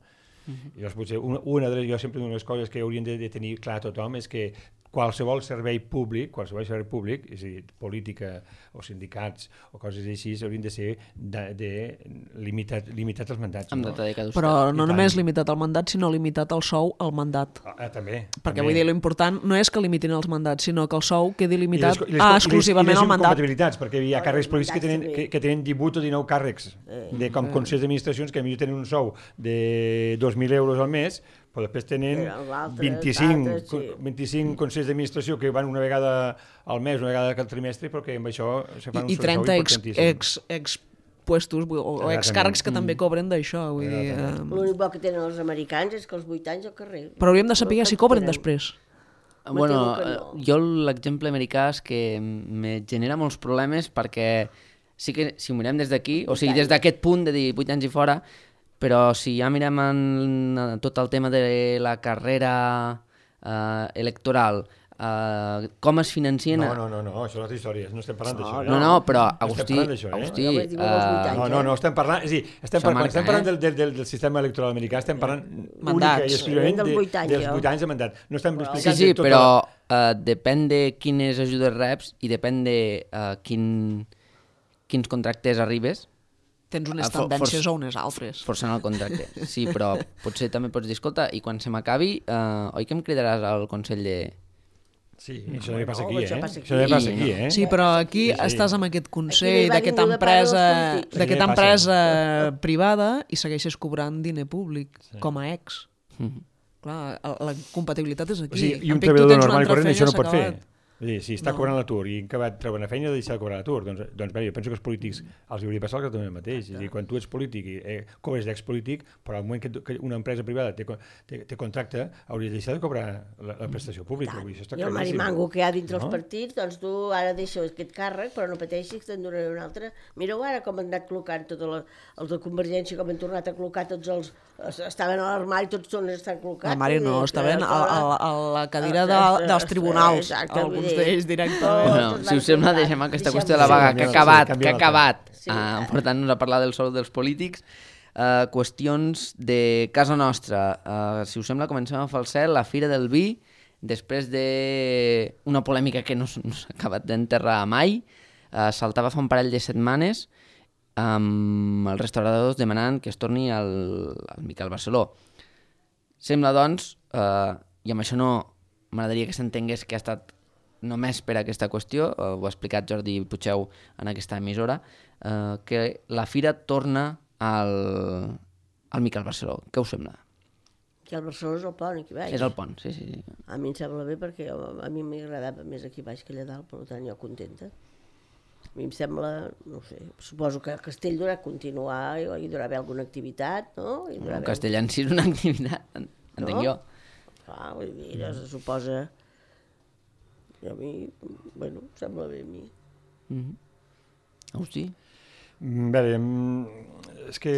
Llavors, potser jo sempre una de les coses que haurien de tenir clar a tothom és que qualsevol servei públic, és a dir, política o sindicats o coses així, haurien de ser limitats als mandats. Però no només limitat al mandat, sinó limitat al sou al mandat. També. Perquè vull dir, l'important no és que limitin els mandats, sinó que el sou quedi limitat exclusivament al mandat. I les incompatibilitats, perquè hi ha càrrecs polítics que tenen 18 o 19 càrrecs com consells d'administracions que millor tenen un sou de 2.000 euros al mes, però després tenen 25 consells d'administració que van una vegada al mes, una vegada al trimestre, però que amb això se fan un sou importantíssim. I 30 puestos o excàrrecs que també cobren d'això. L'únic bo que tenen els americans és que els 8 anys al carrer. Però hauríem de saber si cobren després. Bueno, jo l'exemple americà és que me genera molts problemes perquè sí que si ho mirem des d'aquí, o sigui, des d'aquest punt de dir 8 anys i fora, però si ja mirem en tot el tema de la carrera electoral, com es financien... No, això és una altra història, no estem parlant d'això. No, però Agustí... No, estem parlant... És a dir, quan estem parlant del sistema electoral americà, estem parlant única i exclusivament dels 8 anys de mandat. No estem explicant... Sí, però depèn de quines ajudes reps i depèn de quins contractes arribes. Tens unes tendències o unes altres. Forçant el contracte, sí, però potser també pots dir, escolta, i quan se m'acabi, oi que em cridaràs al Consell de... Sí, això també passa aquí, Això també passa aquí, Sí, però aquí estàs amb aquest consell d'aquesta empresa privada i segueixes cobrant diner públic, com a ex. Clar, la compatibilitat és aquí. I un treballador normal i corrent això no pot fer. Si està cobrant l'atur i acabat treballant a feina ha de deixar de cobrar l'atur, doncs bé, jo penso que els polítics els hauria passat exactament el mateix. És a dir, quan tu ets polític i cobres d'expolític, però al moment que una empresa privada te contracta, hauries de deixar de cobrar la prestació pública. I el marimango que hi ha dintre els partits, doncs tu ara deixes aquest càrrec, però no pateixis que te'n donaré un altre. Mireu ara com han anat col·locant tots els de Convergència, com han tornat a col·locar tots els... Estaven a l'armari, tots estan col·locats. L'armari no, estaven a la cadira dels tribunals. Alguns d'ells directament. Bueno, si us sembla, deixem aquesta qüestió de la vaga que ha acabat portant-nos a parlar del sou dels polítics. Qüestions de casa nostra. Si us sembla, comencem a falsar la Fira del Vi, després d'una polèmica que no s'ha acabat d'enterrar mai. Saltava fa un parell de setmanes amb els restauradors demanant que es torni al Miquel Barceló. Sembla, doncs, i amb això no m'agradaria que s'entengués que ha estat només per aquesta qüestió, ho ha explicat Jordi Puigdeu en aquesta emissora, que la Fira torna al Miquel Barceló. Què us sembla? Que el Barceló és el pont, aquí baix. És el pont, sí. A mi em sembla bé perquè a mi m'agradava més aquí baix que allà dalt, per tant jo contenta. A mi em sembla, no sé, suposo que a Castell durà continuar, hi durà haver alguna activitat, no? El castell en si és una activitat, entenc jo. Clar, vull dir, ja se suposa... I a mi, bueno, em sembla bé a mi. Agustí? Bé, és que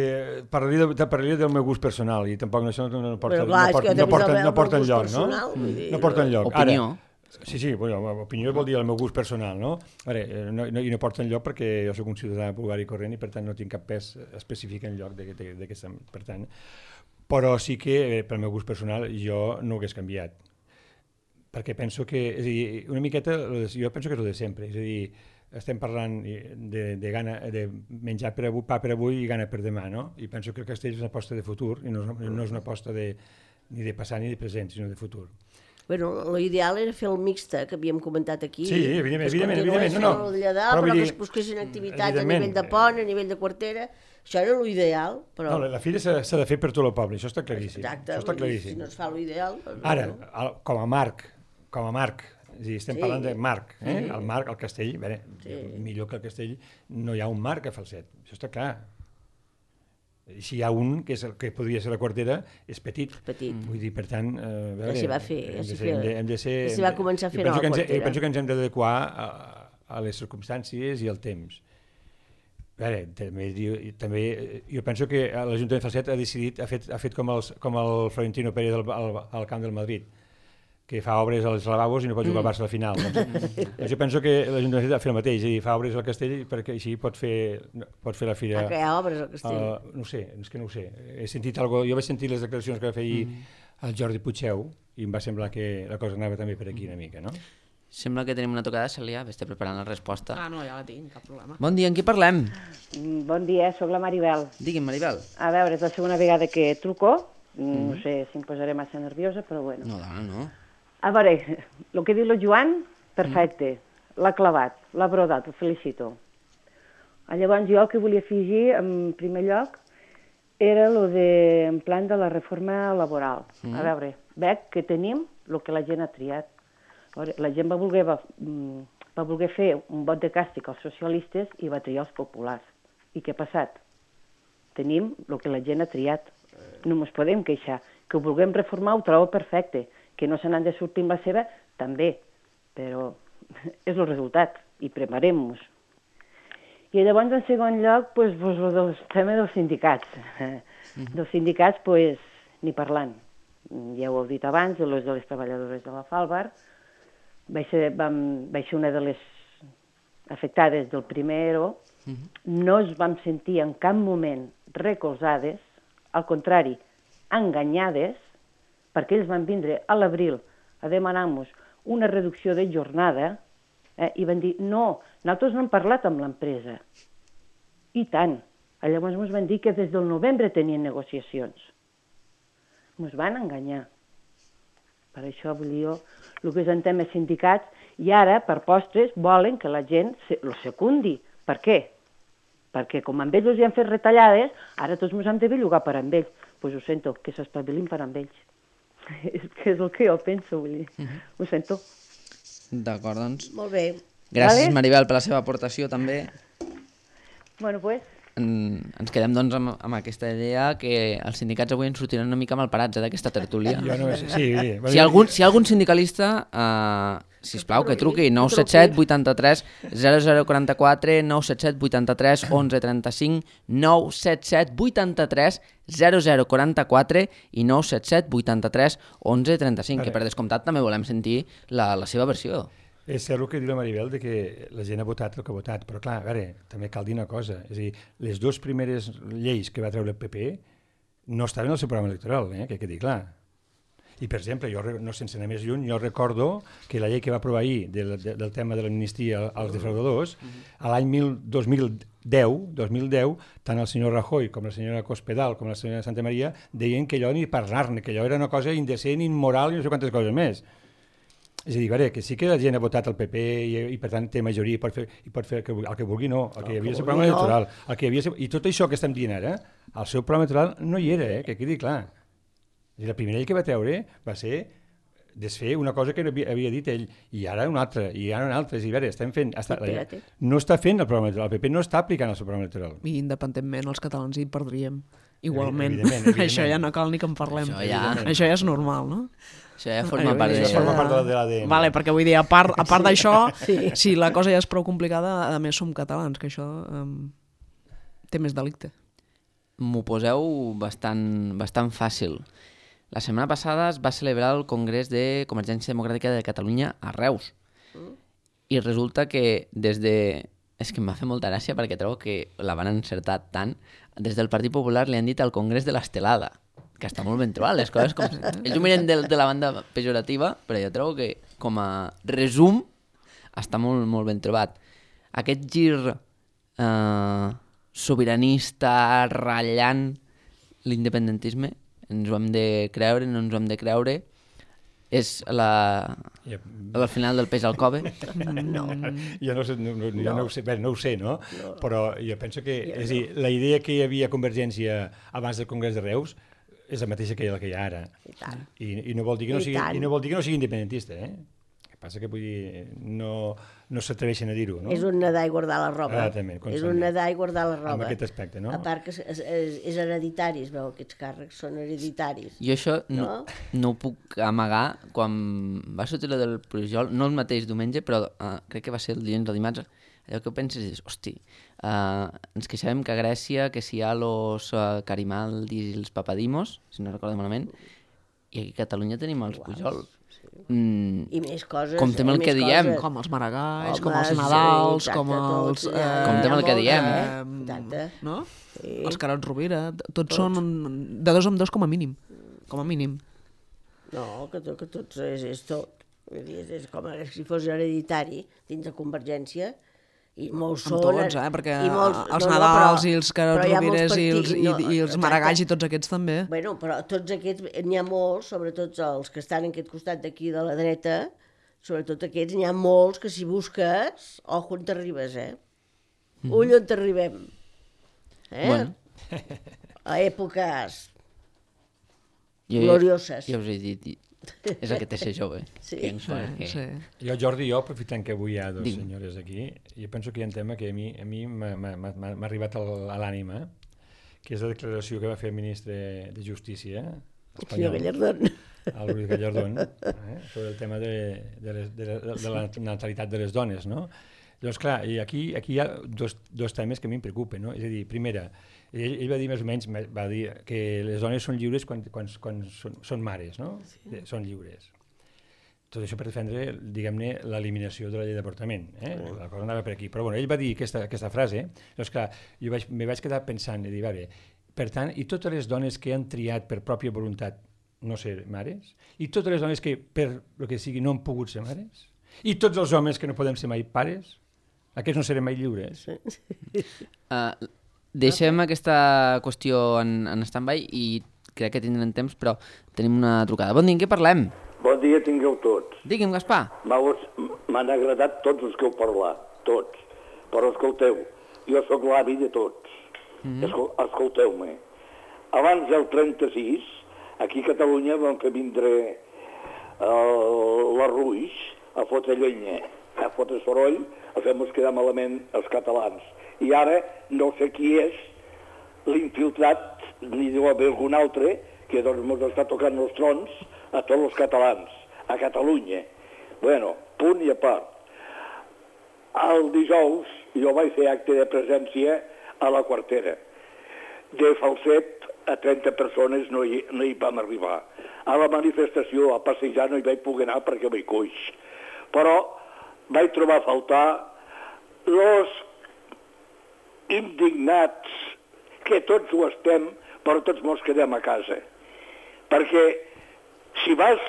parlaria del meu gust personal i tampoc això no porta enlloc, no? No porta enlloc. Opinió. Sí, bueno, opinió vol dir el meu gust personal, no? I no porta enlloc perquè jo soc un ciutadà vulgar i corrent i per tant no tinc cap pes específic enlloc d'aquesta... Per tant, però sí que pel meu gust personal jo no ho hagués canviat. Perquè penso que, és a dir, una miqueta, jo penso que és el de sempre, és a dir, estem parlant de menjar pa per avui i gana per demà, no? I penso que el castell és una aposta de futur i no és una aposta ni de passat ni de present, sinó de futur. Bueno, l'ideal era fer el mixta, que havíem comentat aquí. Sí, evidentment. No, però que es busquessin activitats a nivell de pont, a nivell de quartera, això era l'ideal. Però... No, la fira s'ha de fer per tot el poble, això està claríssim. Exacte, si no es fa l'ideal... Ara, com a marc, és a dir, estem parlant de marc, el marc, el castell, millor que el castell no hi ha un marc a Falset, això està clar. Si hi ha un, que és el que podria ser la quartera, és petit. Vull dir, per tant... Ja s'hi va fer, hem de ser... Ja s'hi va començar a fer nova quartera. Penso que ens hem d'adequar a les circumstàncies i al temps. També jo penso que l'Ajuntament de Falset ha decidit, ha fet com el Florentino Pérez al camp del Madrid, que fa obres als lavabos i no pot jugar al Barça a la final. Jo penso que l'Ajuntament ha de fer el mateix, és a dir, fa obres al castell perquè així pot fer la fira... Que hi ha obres al castell? No sé, és que no ho sé. Jo vaig sentir les declaracions que va fer ahir el Jordi Puigdeu i em va semblar que la cosa anava també per aquí una mica, no? Sembla que tenim una tocada, Cèlia, estic preparant la resposta. No, ja la tinc, cap problema. Bon dia, amb qui parlem? Bon dia, sóc la Maribel. Digui'm, Maribel. A veure, és la segona vegada que truco, no sé si em posaré massa nerviosa, però bueno. No, dona, no. A veure, el que diu el Joan, perfecte, l'ha clavat, l'ha brodat, el felicito. Llavors jo el que volia afegir, en primer lloc, era en plan de la reforma laboral. A veure, veig que tenim el que la gent ha triat. La gent va voler fer un vot de càstig als socialistes i va triar els populars. I què ha passat? Tenim el que la gent ha triat. No ens podem queixar. Que ho vulguem reformar ho trobo perfecte. Que no se n'han de sortir amb la seva, també. Però és el resultat. I preparem-nos. I llavors, en segon lloc, el tema dels sindicats. Dels sindicats, ni parlant. Ja ho heu dit abans, de les treballadores de la Falbar. Vaig ser una de les afectades del primer ERO. No es vam sentir en cap moment recolzades, al contrari, enganyades, perquè ells van vindre a l'abril a demanar-nos una reducció de jornada i van dir, no, nosaltres no hem parlat amb l'empresa. I tant. Llavors ens van dir que des del novembre tenien negociacions. Ens van enganyar. Per això vull dir jo, el que és en temes sindicats, i ara, per postres, volen que la gent el secundi. Per què? Perquè com amb ells els hi han fet retallades, ara tots ens hem de bellugar per amb ells. Doncs ho sento, que s'espavilin per amb ells. És el que jo penso, vull dir. Ho sento. D'acord, doncs. Molt bé. Gràcies, Maribel, per la seva aportació, també. Bueno, doncs... Ens quedem, doncs, amb aquesta idea que els sindicats avui ens sortiran una mica malparats d'aquesta tertúlia. Si algun sindicalista, sisplau, que truqui 977 83 0044, 977 83 11 35, 977 83 0044 i 977 83 11 35, que per descomptat també volem sentir la seva versió. És cert el que diu la Maribel, que la gent ha votat el que ha votat, però clar, a veure, també cal dir una cosa, és a dir, les dues primeres lleis que va treure el PP no estaven al seu programa electoral, que quedi clar. I, per exemple, jo, no sense anar més lluny, jo recordo que la llei que va aprovar ahir del tema de l'amnistia als defraudadors, a l'any 2010, tant el senyor Rajoy com la senyora Cospedal com la senyora Santa Maria deien que allò ni parlar-ne, que allò era una cosa indecent, immoral i no sé quantes coses més. És a dir, veure, que sí que la gent ha votat el PP i per tant té majoria i pot fer el que vulgui, no. El que hi havia el programa electoral. I tot això que estem dient ara, el seu programa electoral no hi era, que quedi clar. És a dir, la primera llei que va treure va ser desfer una cosa que havia dit ell, i ara una altra, i ara una altra. És a dir, veure, estem fent... No està fent el programa electoral, el PP no està aplicant el seu programa electoral. I independentment els catalans hi perdríem. Igualment. Evidentment. Això ja no cal ni que en parlem. Això ja és normal, no? Això ja forma part de l'ADN. Vale, perquè vull dir, a part d'això, si la cosa ja és prou complicada, a més som catalans, que això té més delicte. M'ho poseu bastant fàcil. La setmana passada es va celebrar el Congrés de Convergència Democràtica de Catalunya a Reus. I resulta que des de... És que em va fer molta gràcia perquè trobo que la van encertar tant. Des del Partit Popular li han dit al Congrés de l'Estelada, que està molt ben trobat, les coses com... Ells ho miren de la banda pejorativa, però jo trobo que com a resum està molt, molt ben trobat. Aquest gir sobiranista, ratllant l'independentisme, ens ho hem de creure, no ens ho hem de creure, és al final del peix al cove? No. Jo no ho sé, no? Però jo penso que... És a dir, la idea que hi havia a Convergència abans del Congrés de Reus és la mateixa que la que hi ha ara. I no vol dir que no sigui independentista, eh? El que passa que vull dir, no s'atreveixen a dir-ho, no? És un nedar i guardar la roba. També, és un nedar i guardar la roba. En aquest aspecte, no? A part que és hereditari, es veu, aquests càrrecs són hereditaris. Jo això no ho puc amagar. Quan va sortir la del Pujol, no el mateix diumenge, però crec que va ser el dilluns o dimarts, allò que penses és, hosti, ens queixàvem que a Grècia, que si hi ha los Carimaldis i els Papadimos, si no recordo malament, i aquí a Catalunya tenim els Pujol. I més coses. Comptem el que diem. Com els Maragalls, com els Nadals, com els... Comptem el que diem. No? Els Carod Rovira, tots són de 2 en 2 com a mínim. Com a mínim. No, que tots és tot. És com si fos hereditari dins de Convergència. I molts són... Amb tots, perquè els Nadals i els Carod Rovires i els Maragalls i tots aquests també. Bueno, però tots aquests, n'hi ha molts, sobretot els que estan en aquest costat d'aquí de la dreta, sobretot aquests, n'hi ha molts que si busques, ojo on t'arribes, Ull on t'arribem. Bueno. A èpoques glorioses. Ja us he dit, és el que té ser jove. Sí. Jo, Jordi, aprofitant que avui hi ha dos senyores aquí, jo penso que hi ha un tema que a mi m'ha arribat a l'ànima, que és la declaració que va fer el ministre de Justícia espanyol, el Luis Gallardón, sobre el tema de la natalitat de les dones, no? Llavors, clar, aquí hi ha dos temes que a mi em preocupen, no? És a dir, primera, ell va dir més o menys, va dir que les dones són lliures quan són mares, no? Sí. Són lliures. Tot això per defendre, diguem-ne, l'eliminació de la llei d'avortament. La cosa anava per aquí. Però bueno, ell va dir aquesta frase, doncs clar, jo me vaig quedar pensant i dir, vale, per tant, i totes les dones que han triat per pròpia voluntat no ser mares, i totes les dones que per el que sigui no han pogut ser mares, i tots els homes que no podem ser mai pares, aquests no serem mai lliures. Deixem aquesta qüestió en stand-by i crec que tindrem temps, però tenim una trucada. Bon dia, en què parlem? Bon dia tingueu tots. Digui'm, Gaspar. M'han agradat tots els que heu parlat, tots. Però escolteu, jo sóc l'avi de tots. Escolteu-me. Abans del 36, aquí a Catalunya van fer vindre la Ruix a fotre llenya, a fotre soroll, a fer-nos quedar malament els catalans. I ara no sé qui és l'infiltrat, ni deu haver algun altre, que doncs ens està tocant els trons a tots els catalans, a Catalunya. Bueno, punt i a part. El dijous jo vaig fer acte de presència a la Quartera. De Falset a 30 persones no hi vam arribar. A la manifestació, a passejar, no hi vaig poder anar perquè vaig coix. Però vaig trobar a faltar els indignats, que tots ho estem, però tots mos quedem a casa. Perquè si vas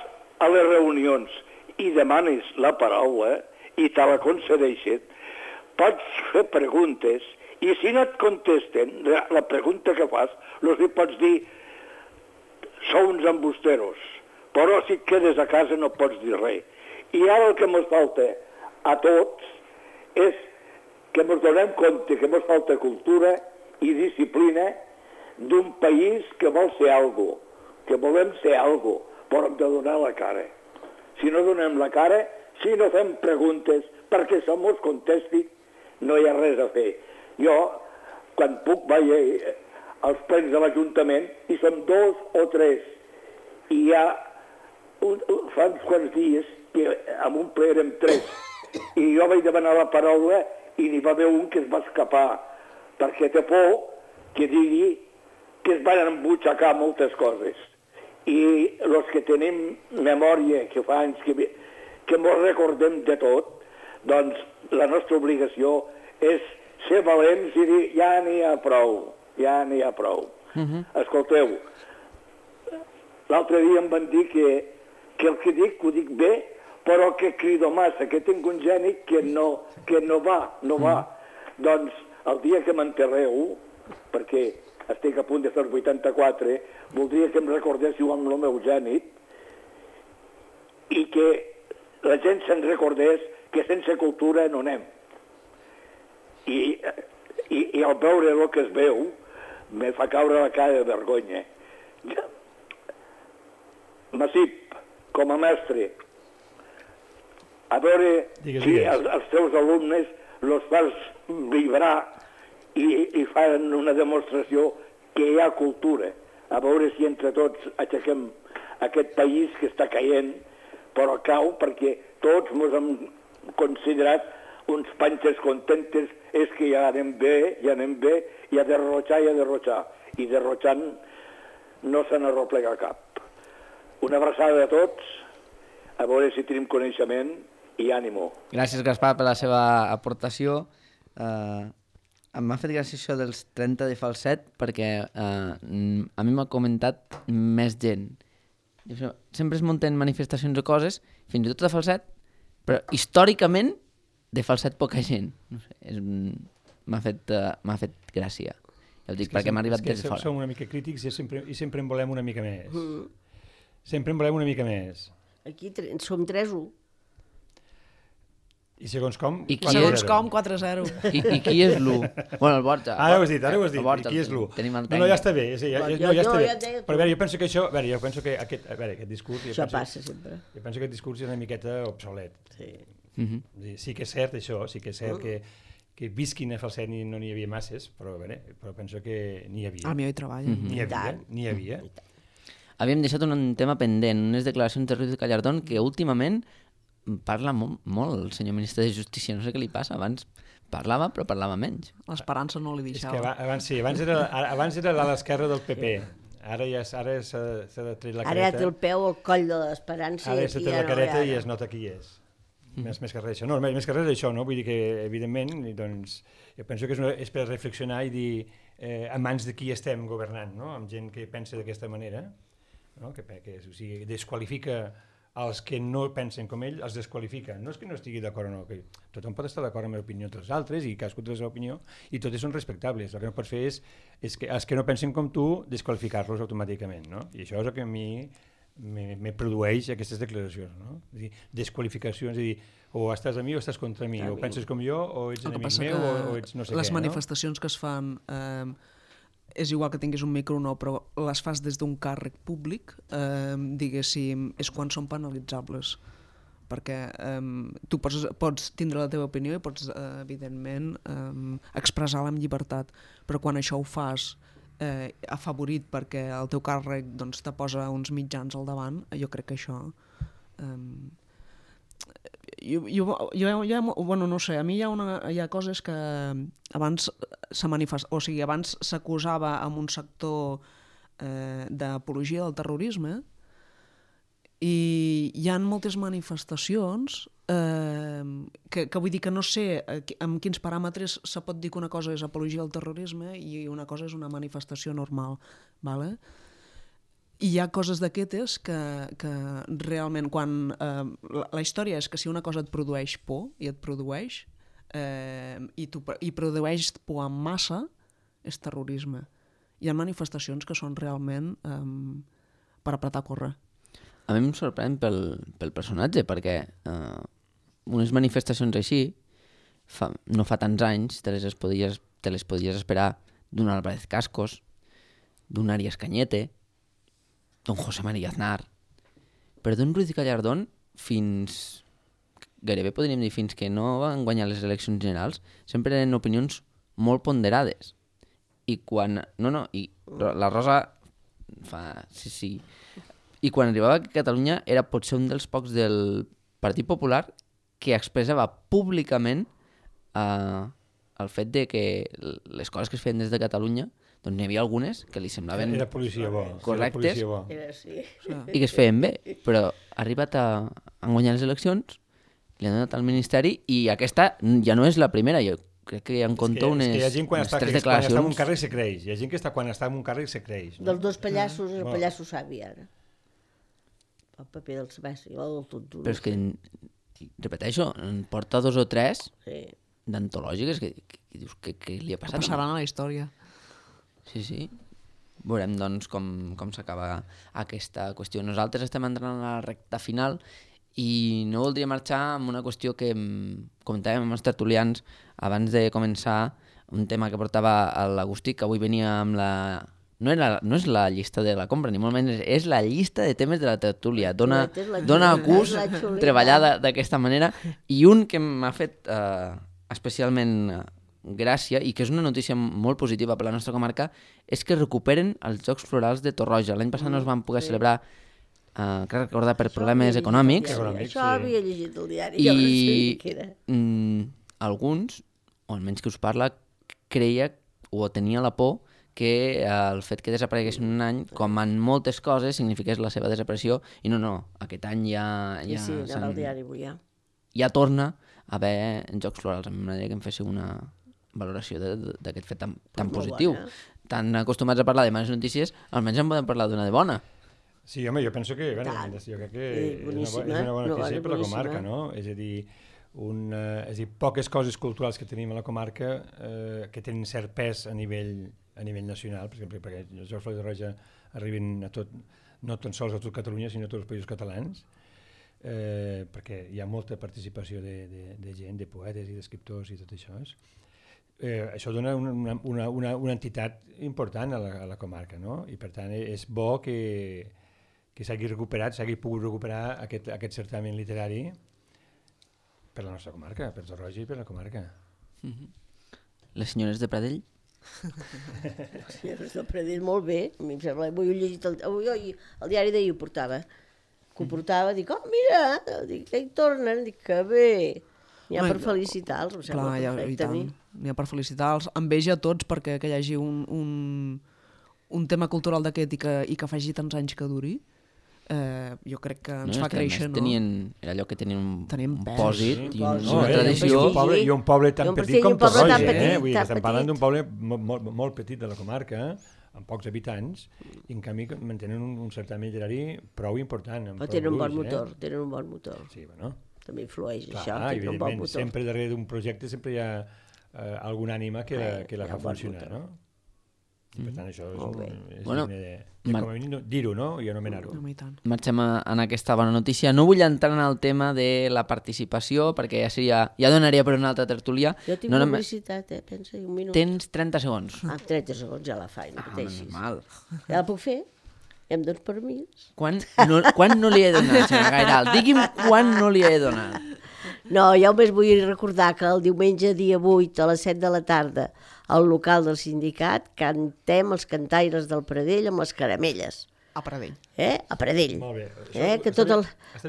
a les reunions i demanes la paraula i te la concedeixen, pots fer preguntes i si no et contesten la pregunta que fas, els pots dir sou uns embusteros, però si et quedes a casa no pots dir res. I ara el que ens falta a tots és que ens donem compte que ens falta cultura i disciplina d'un país que vol ser algo, que volem ser algo, però hem de donar la cara. Si no donem la cara, si no fem preguntes perquè se mos contesti, no hi ha res a fer. Jo, quan puc, vaig als plens de l'Ajuntament i som 2 o 3. I hi ha fa uns quants dies que en un ple érem 3. I jo vaig demanar la paraula i n'hi va haver un que es va escapar perquè té por que digui que es van embutxacar moltes coses. I els que tenim memòria, que fa anys que ens recordem de tot, doncs la nostra obligació és ser valents i dir ja n'hi ha prou, ja n'hi ha prou. Escolteu, l'altre dia em van dir que el que dic ho dic bé, però que crido massa, que tinc un geni que no va. Doncs el dia que m'enterreu, perquè estic a punt de fer 84, voldria que em recordéssiu amb el meu gènit i que la gent se'n recordés que sense cultura no anem. I al veure el que es veu, me fa caure la cara de vergonya. Massip, com a mestre, a veure si els teus alumnes els fas vibrar i fan una demostració que hi ha cultura, a veure si entre tots aixequem aquest país que està caient, però cau perquè tots ens hem considerat uns panxes contentes, és que ja anem bé, i a derrotxar, i derrotxant no se n'arroplega cap. Una abraçada a tots, a veure si tenim coneixement i ànimo. Gràcies, Gaspar, per la seva aportació. Em m'ha fet gràcia això dels 30 de falset perquè a mi m'ha comentat més gent. Sempre es munten manifestacions o coses, fins i tot de falset, però històricament de falset poca gent. No sé, m'ha fet gràcia. Ja ho dic, perquè m'ha arribat des de fora. Som una mica crítics i sempre en volem una mica més. Sempre en volem una mica més. Aquí som 3-1. I segons com? Segons com, 4-0. I qui és l'1? Bueno, el Borja. Ara ho has dit. I qui és l'1? No, ja està bé. Ja està bé. Però a veure, jo penso que això... aquest discurs... Això passa sempre. Jo penso que aquest discurs és una miqueta obsolet. Sí que és cert això, sí que és cert que visquin a falset no n'hi havia masses, però penso que n'hi havia. A mi hi treballa. N'hi havia. Havíem deixat un tema pendent, unes declaracions de Ruiz Gallardón que últimament parla molt el senyor ministre de Justícia, no sé què li passa, abans parlava però parlava menys. L'esperança no li deixava. És que abans era a l'esquerra del PP, ara s'ha de tret la careta. Ara té el peu al coll de l'esperança. Ara s'ha tret la careta i es nota qui és. Més que res això. No, més que res això, no? Vull dir que, evidentment, doncs, jo penso que és per reflexionar i dir a mans de qui estem governant, no? Amb gent que pensa d'aquesta manera, no? Que o sigui, desqualifica els que no pensen com ell, els desqualifica. No és que no estigui d'acord o no, que tothom pot estar d'acord amb l'opinió dels altres i cadascú té la seva opinió i totes són respectables. El que no pots fer és que els que no pensen com tu desqualificar-los automàticament, no? I això és el que a mi me produeix aquestes declaracions, no? És dir, desqualificacions, és dir, o estàs a mi o estàs contra mi, o penses com jo o ets enemic meu o ets no sé què, no? Les manifestacions que es fan... és igual que tinguis un micro o no, però les fas des d'un càrrec públic, diguéssim, és quan són penalitzables. Perquè tu pots tindre la teva opinió i pots, evidentment, expressar-la amb llibertat, però quan això ho fas afavorit perquè el teu càrrec doncs, te posa uns mitjans al davant, jo crec que això... bueno, no sé, a mi hi ha coses que abans abans s'acusava amb un sector d'apologia del terrorisme i hi ha moltes manifestacions que vull dir que no sé amb quins paràmetres se pot dir que una cosa és apologia del terrorisme i una cosa és una manifestació normal, ¿vale? I hi ha coses d'aquestes que realment quan... la història és que si una cosa et produeix por i et produeix i produeix por en massa és terrorisme. Hi ha manifestacions que són realment per apretar a córrer. A mi em sorprèn pel personatge, perquè unes manifestacions així, no fa tants anys, te les podies esperar d'un Álvarez Cascos, d'un Arias Cañete, d'un José María Aznar, però d'un Ruiz Gallardón gairebé podríem dir fins que no van guanyar les eleccions generals, sempre eren opinions molt ponderades. I quan... i la Rosa fa... Sí. I quan arribava a Catalunya era potser un dels pocs del Partit Popular que expressava públicament el fet de que les coses que es feien des de Catalunya, doncs n'hi havia algunes que li semblaven Era policia bo. correctes Sí. i que es feien bé, però ha arribat a guanyar les eleccions, li han donat al Ministeri i aquesta ja no és la primera, jo crec que en compto unes 3 declaracions. Quan està en un carrer se creix, hi ha gent que quan està en un carrer se creix. No? Dels dos pallassos, el pallasso savi, ara. El paper del Sebasti, el tonto. Però és que, repeteixo, en porta 2 o 3 Sí. d'antològiques que dius que li ha passat. Passaran a la història. Sí. Veurem, doncs, com s'acaba aquesta qüestió. Nosaltres estem entrant a la recta final i no voldria marxar amb una qüestió que comentàvem amb els tertulians abans de començar, un tema que portava l'Agustí, que avui venia amb la... No és la llista de la compra, ni molt menys, és la llista de temes de la tertúlia. Dona gust treballar d'aquesta manera. I un que m'ha fet especialment gràcia, i que és una notícia molt positiva per la nostra comarca, és que recuperen els Jocs Florals de Torroja. L'any passat no es van poder celebrar, crec recordar, per problemes econòmics. Això havia llegit el diari. I alguns, o almenys qui us parla, creia o tenia la por que el fet que desapareguessin un any, com en moltes coses, signifiqués la seva desaparició, i no, aquest any Sí, anava al diari avui, ja. Ja torna a haver Jocs Florals. M'agradaria que em féssiu una valoració d'aquest fet tan positiu. Tan acostumats a parlar de males notícies, almenys en podem parlar d'una de bona. Sí, home, jo penso que, jo crec que és una bona notícia per la comarca, no? És a dir, poques coses culturals que tenim a la comarca que tenen cert pes a nivell nacional, per exemple, perquè els Jocs Florals de Torroja arriben no tan sols a tot Catalunya, sinó a tots els països catalans, perquè hi ha molta participació de gent, de poetes i d'escriptors i tot això. Això dona una entitat important a la comarca, no? I per tant és bo que s'hagi pogut recuperar aquest certamen literari per la nostra comarca, per Torroja i per la comarca. Les senyores de Pradell? Les senyores de Pradell, molt bé. A mi em sembla, avui he llegit el diari d'ahir ho portava. Que ho portava, dic, mira, que hi tornen, dic, que bé. N'hi ha per felicitar-los, em sembla perfecte a mi. N'hi ha per felicitar-los. Enveja a tots perquè que hi hagi un tema cultural d'aquest i que faci tants anys que duri. Jo crec que ens fa créixer, no? Era allò que tenien un pòsit i una tradició. I un poble tan petit com Torroja, estem parlant d'un poble molt petit de la comarca, amb pocs habitants, i en canvi mantenen un certamen literari prou important. Però tenen un bon motor, Sí, bueno. També influeix això, tenen un bon motor. Sempre darrere d'un projecte sempre hi ha alguna ànima que la fa funcionar, no? Per tant, això és digne de dir-ho, no? I anomenar-ho. Marxem en aquesta bona notícia. No vull entrar en el tema de la participació, perquè ja donaria per una altra tertúlia. Jo tinc publicitat, pensa, un minut. Tens 30 segons. 30 segons ja la faig, no pateixis. Normal. Ja la puc fer? Em dones permís? Quan no li he donat, senyora Gairal? Digui'm quan no li he donat. No, ja només vull recordar que el diumenge dia 8 a les 7 de la tarda al local del sindicat cantem els cantaires del Pradell amb les caramelles. A Pradell. A Pradell. Molt bé. Que tota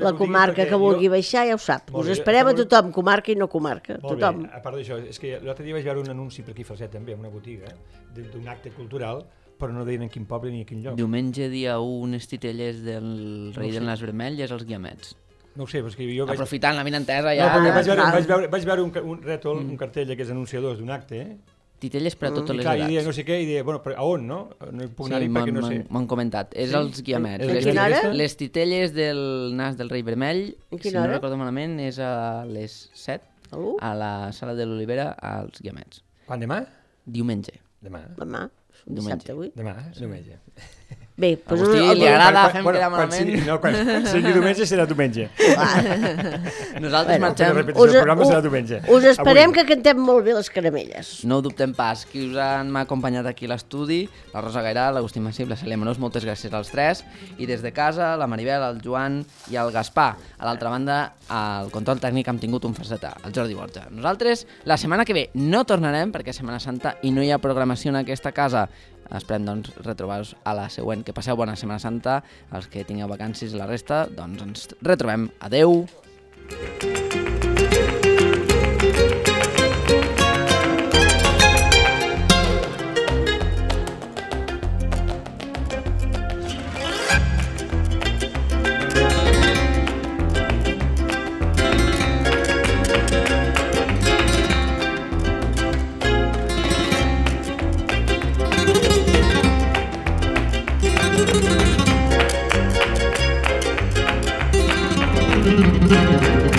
la comarca que vulgui baixar ja ho sap. Us esperem a tothom, comarca i no comarca. Molt bé, a part d'això, és que l'altre dia vaig veure un anunci per aquí Falset també, en una botiga, d'un acte cultural, però no deien en quin poble ni en quin lloc. Diumenge dia 1, unes titelles del rei del nas vermell i els Guiamets. No ho sé, perquè jo vaig... Aprofitant la vinentesa ja... No, vaig veure un rètol, un cartell d'aquests anunciadors d'un acte, titelles per a totes les edats. edats. I deia no sé què, i deia, bueno, però a on, no? No hi puc anar-hi perquè no sé. M'han comentat, és els Guiamets. A quina hora? Les titelles del nas del rei vermell, si no recordo malament, és a les 7, a la sala de l'Olivera, als Guiamets. Quan, demà? Diumenge. Demà. Demà? Dissabte avui? Demà, diumenge. Bé, doncs... Agustí li agrada, fem quedar Quan malament. sigui diumenge serà diumenge. Nosaltres marxem. La repetició del programa serà diumenge. Us esperem que cantem molt bé les caramelles. No ho dubtem pas. Qui us m'ha acompanyat aquí a l'estudi, la Rosa Gairà, l'Agustí Massip, la Cèlia Menós, moltes gràcies als tres. I des de casa, la Maribel, el Joan i el Gaspar. A l'altra banda, al control tècnic hem tingut un facetà, el Jordi Borja. Nosaltres, la setmana que ve no tornarem, perquè és Setmana Santa i no hi ha programació en aquesta casa. Esperem, doncs, retrobar-vos a la següent. Que passeu bona Setmana Santa. Els que tingueu vacances i la resta, doncs ens retrobem. Adeu! Thank you.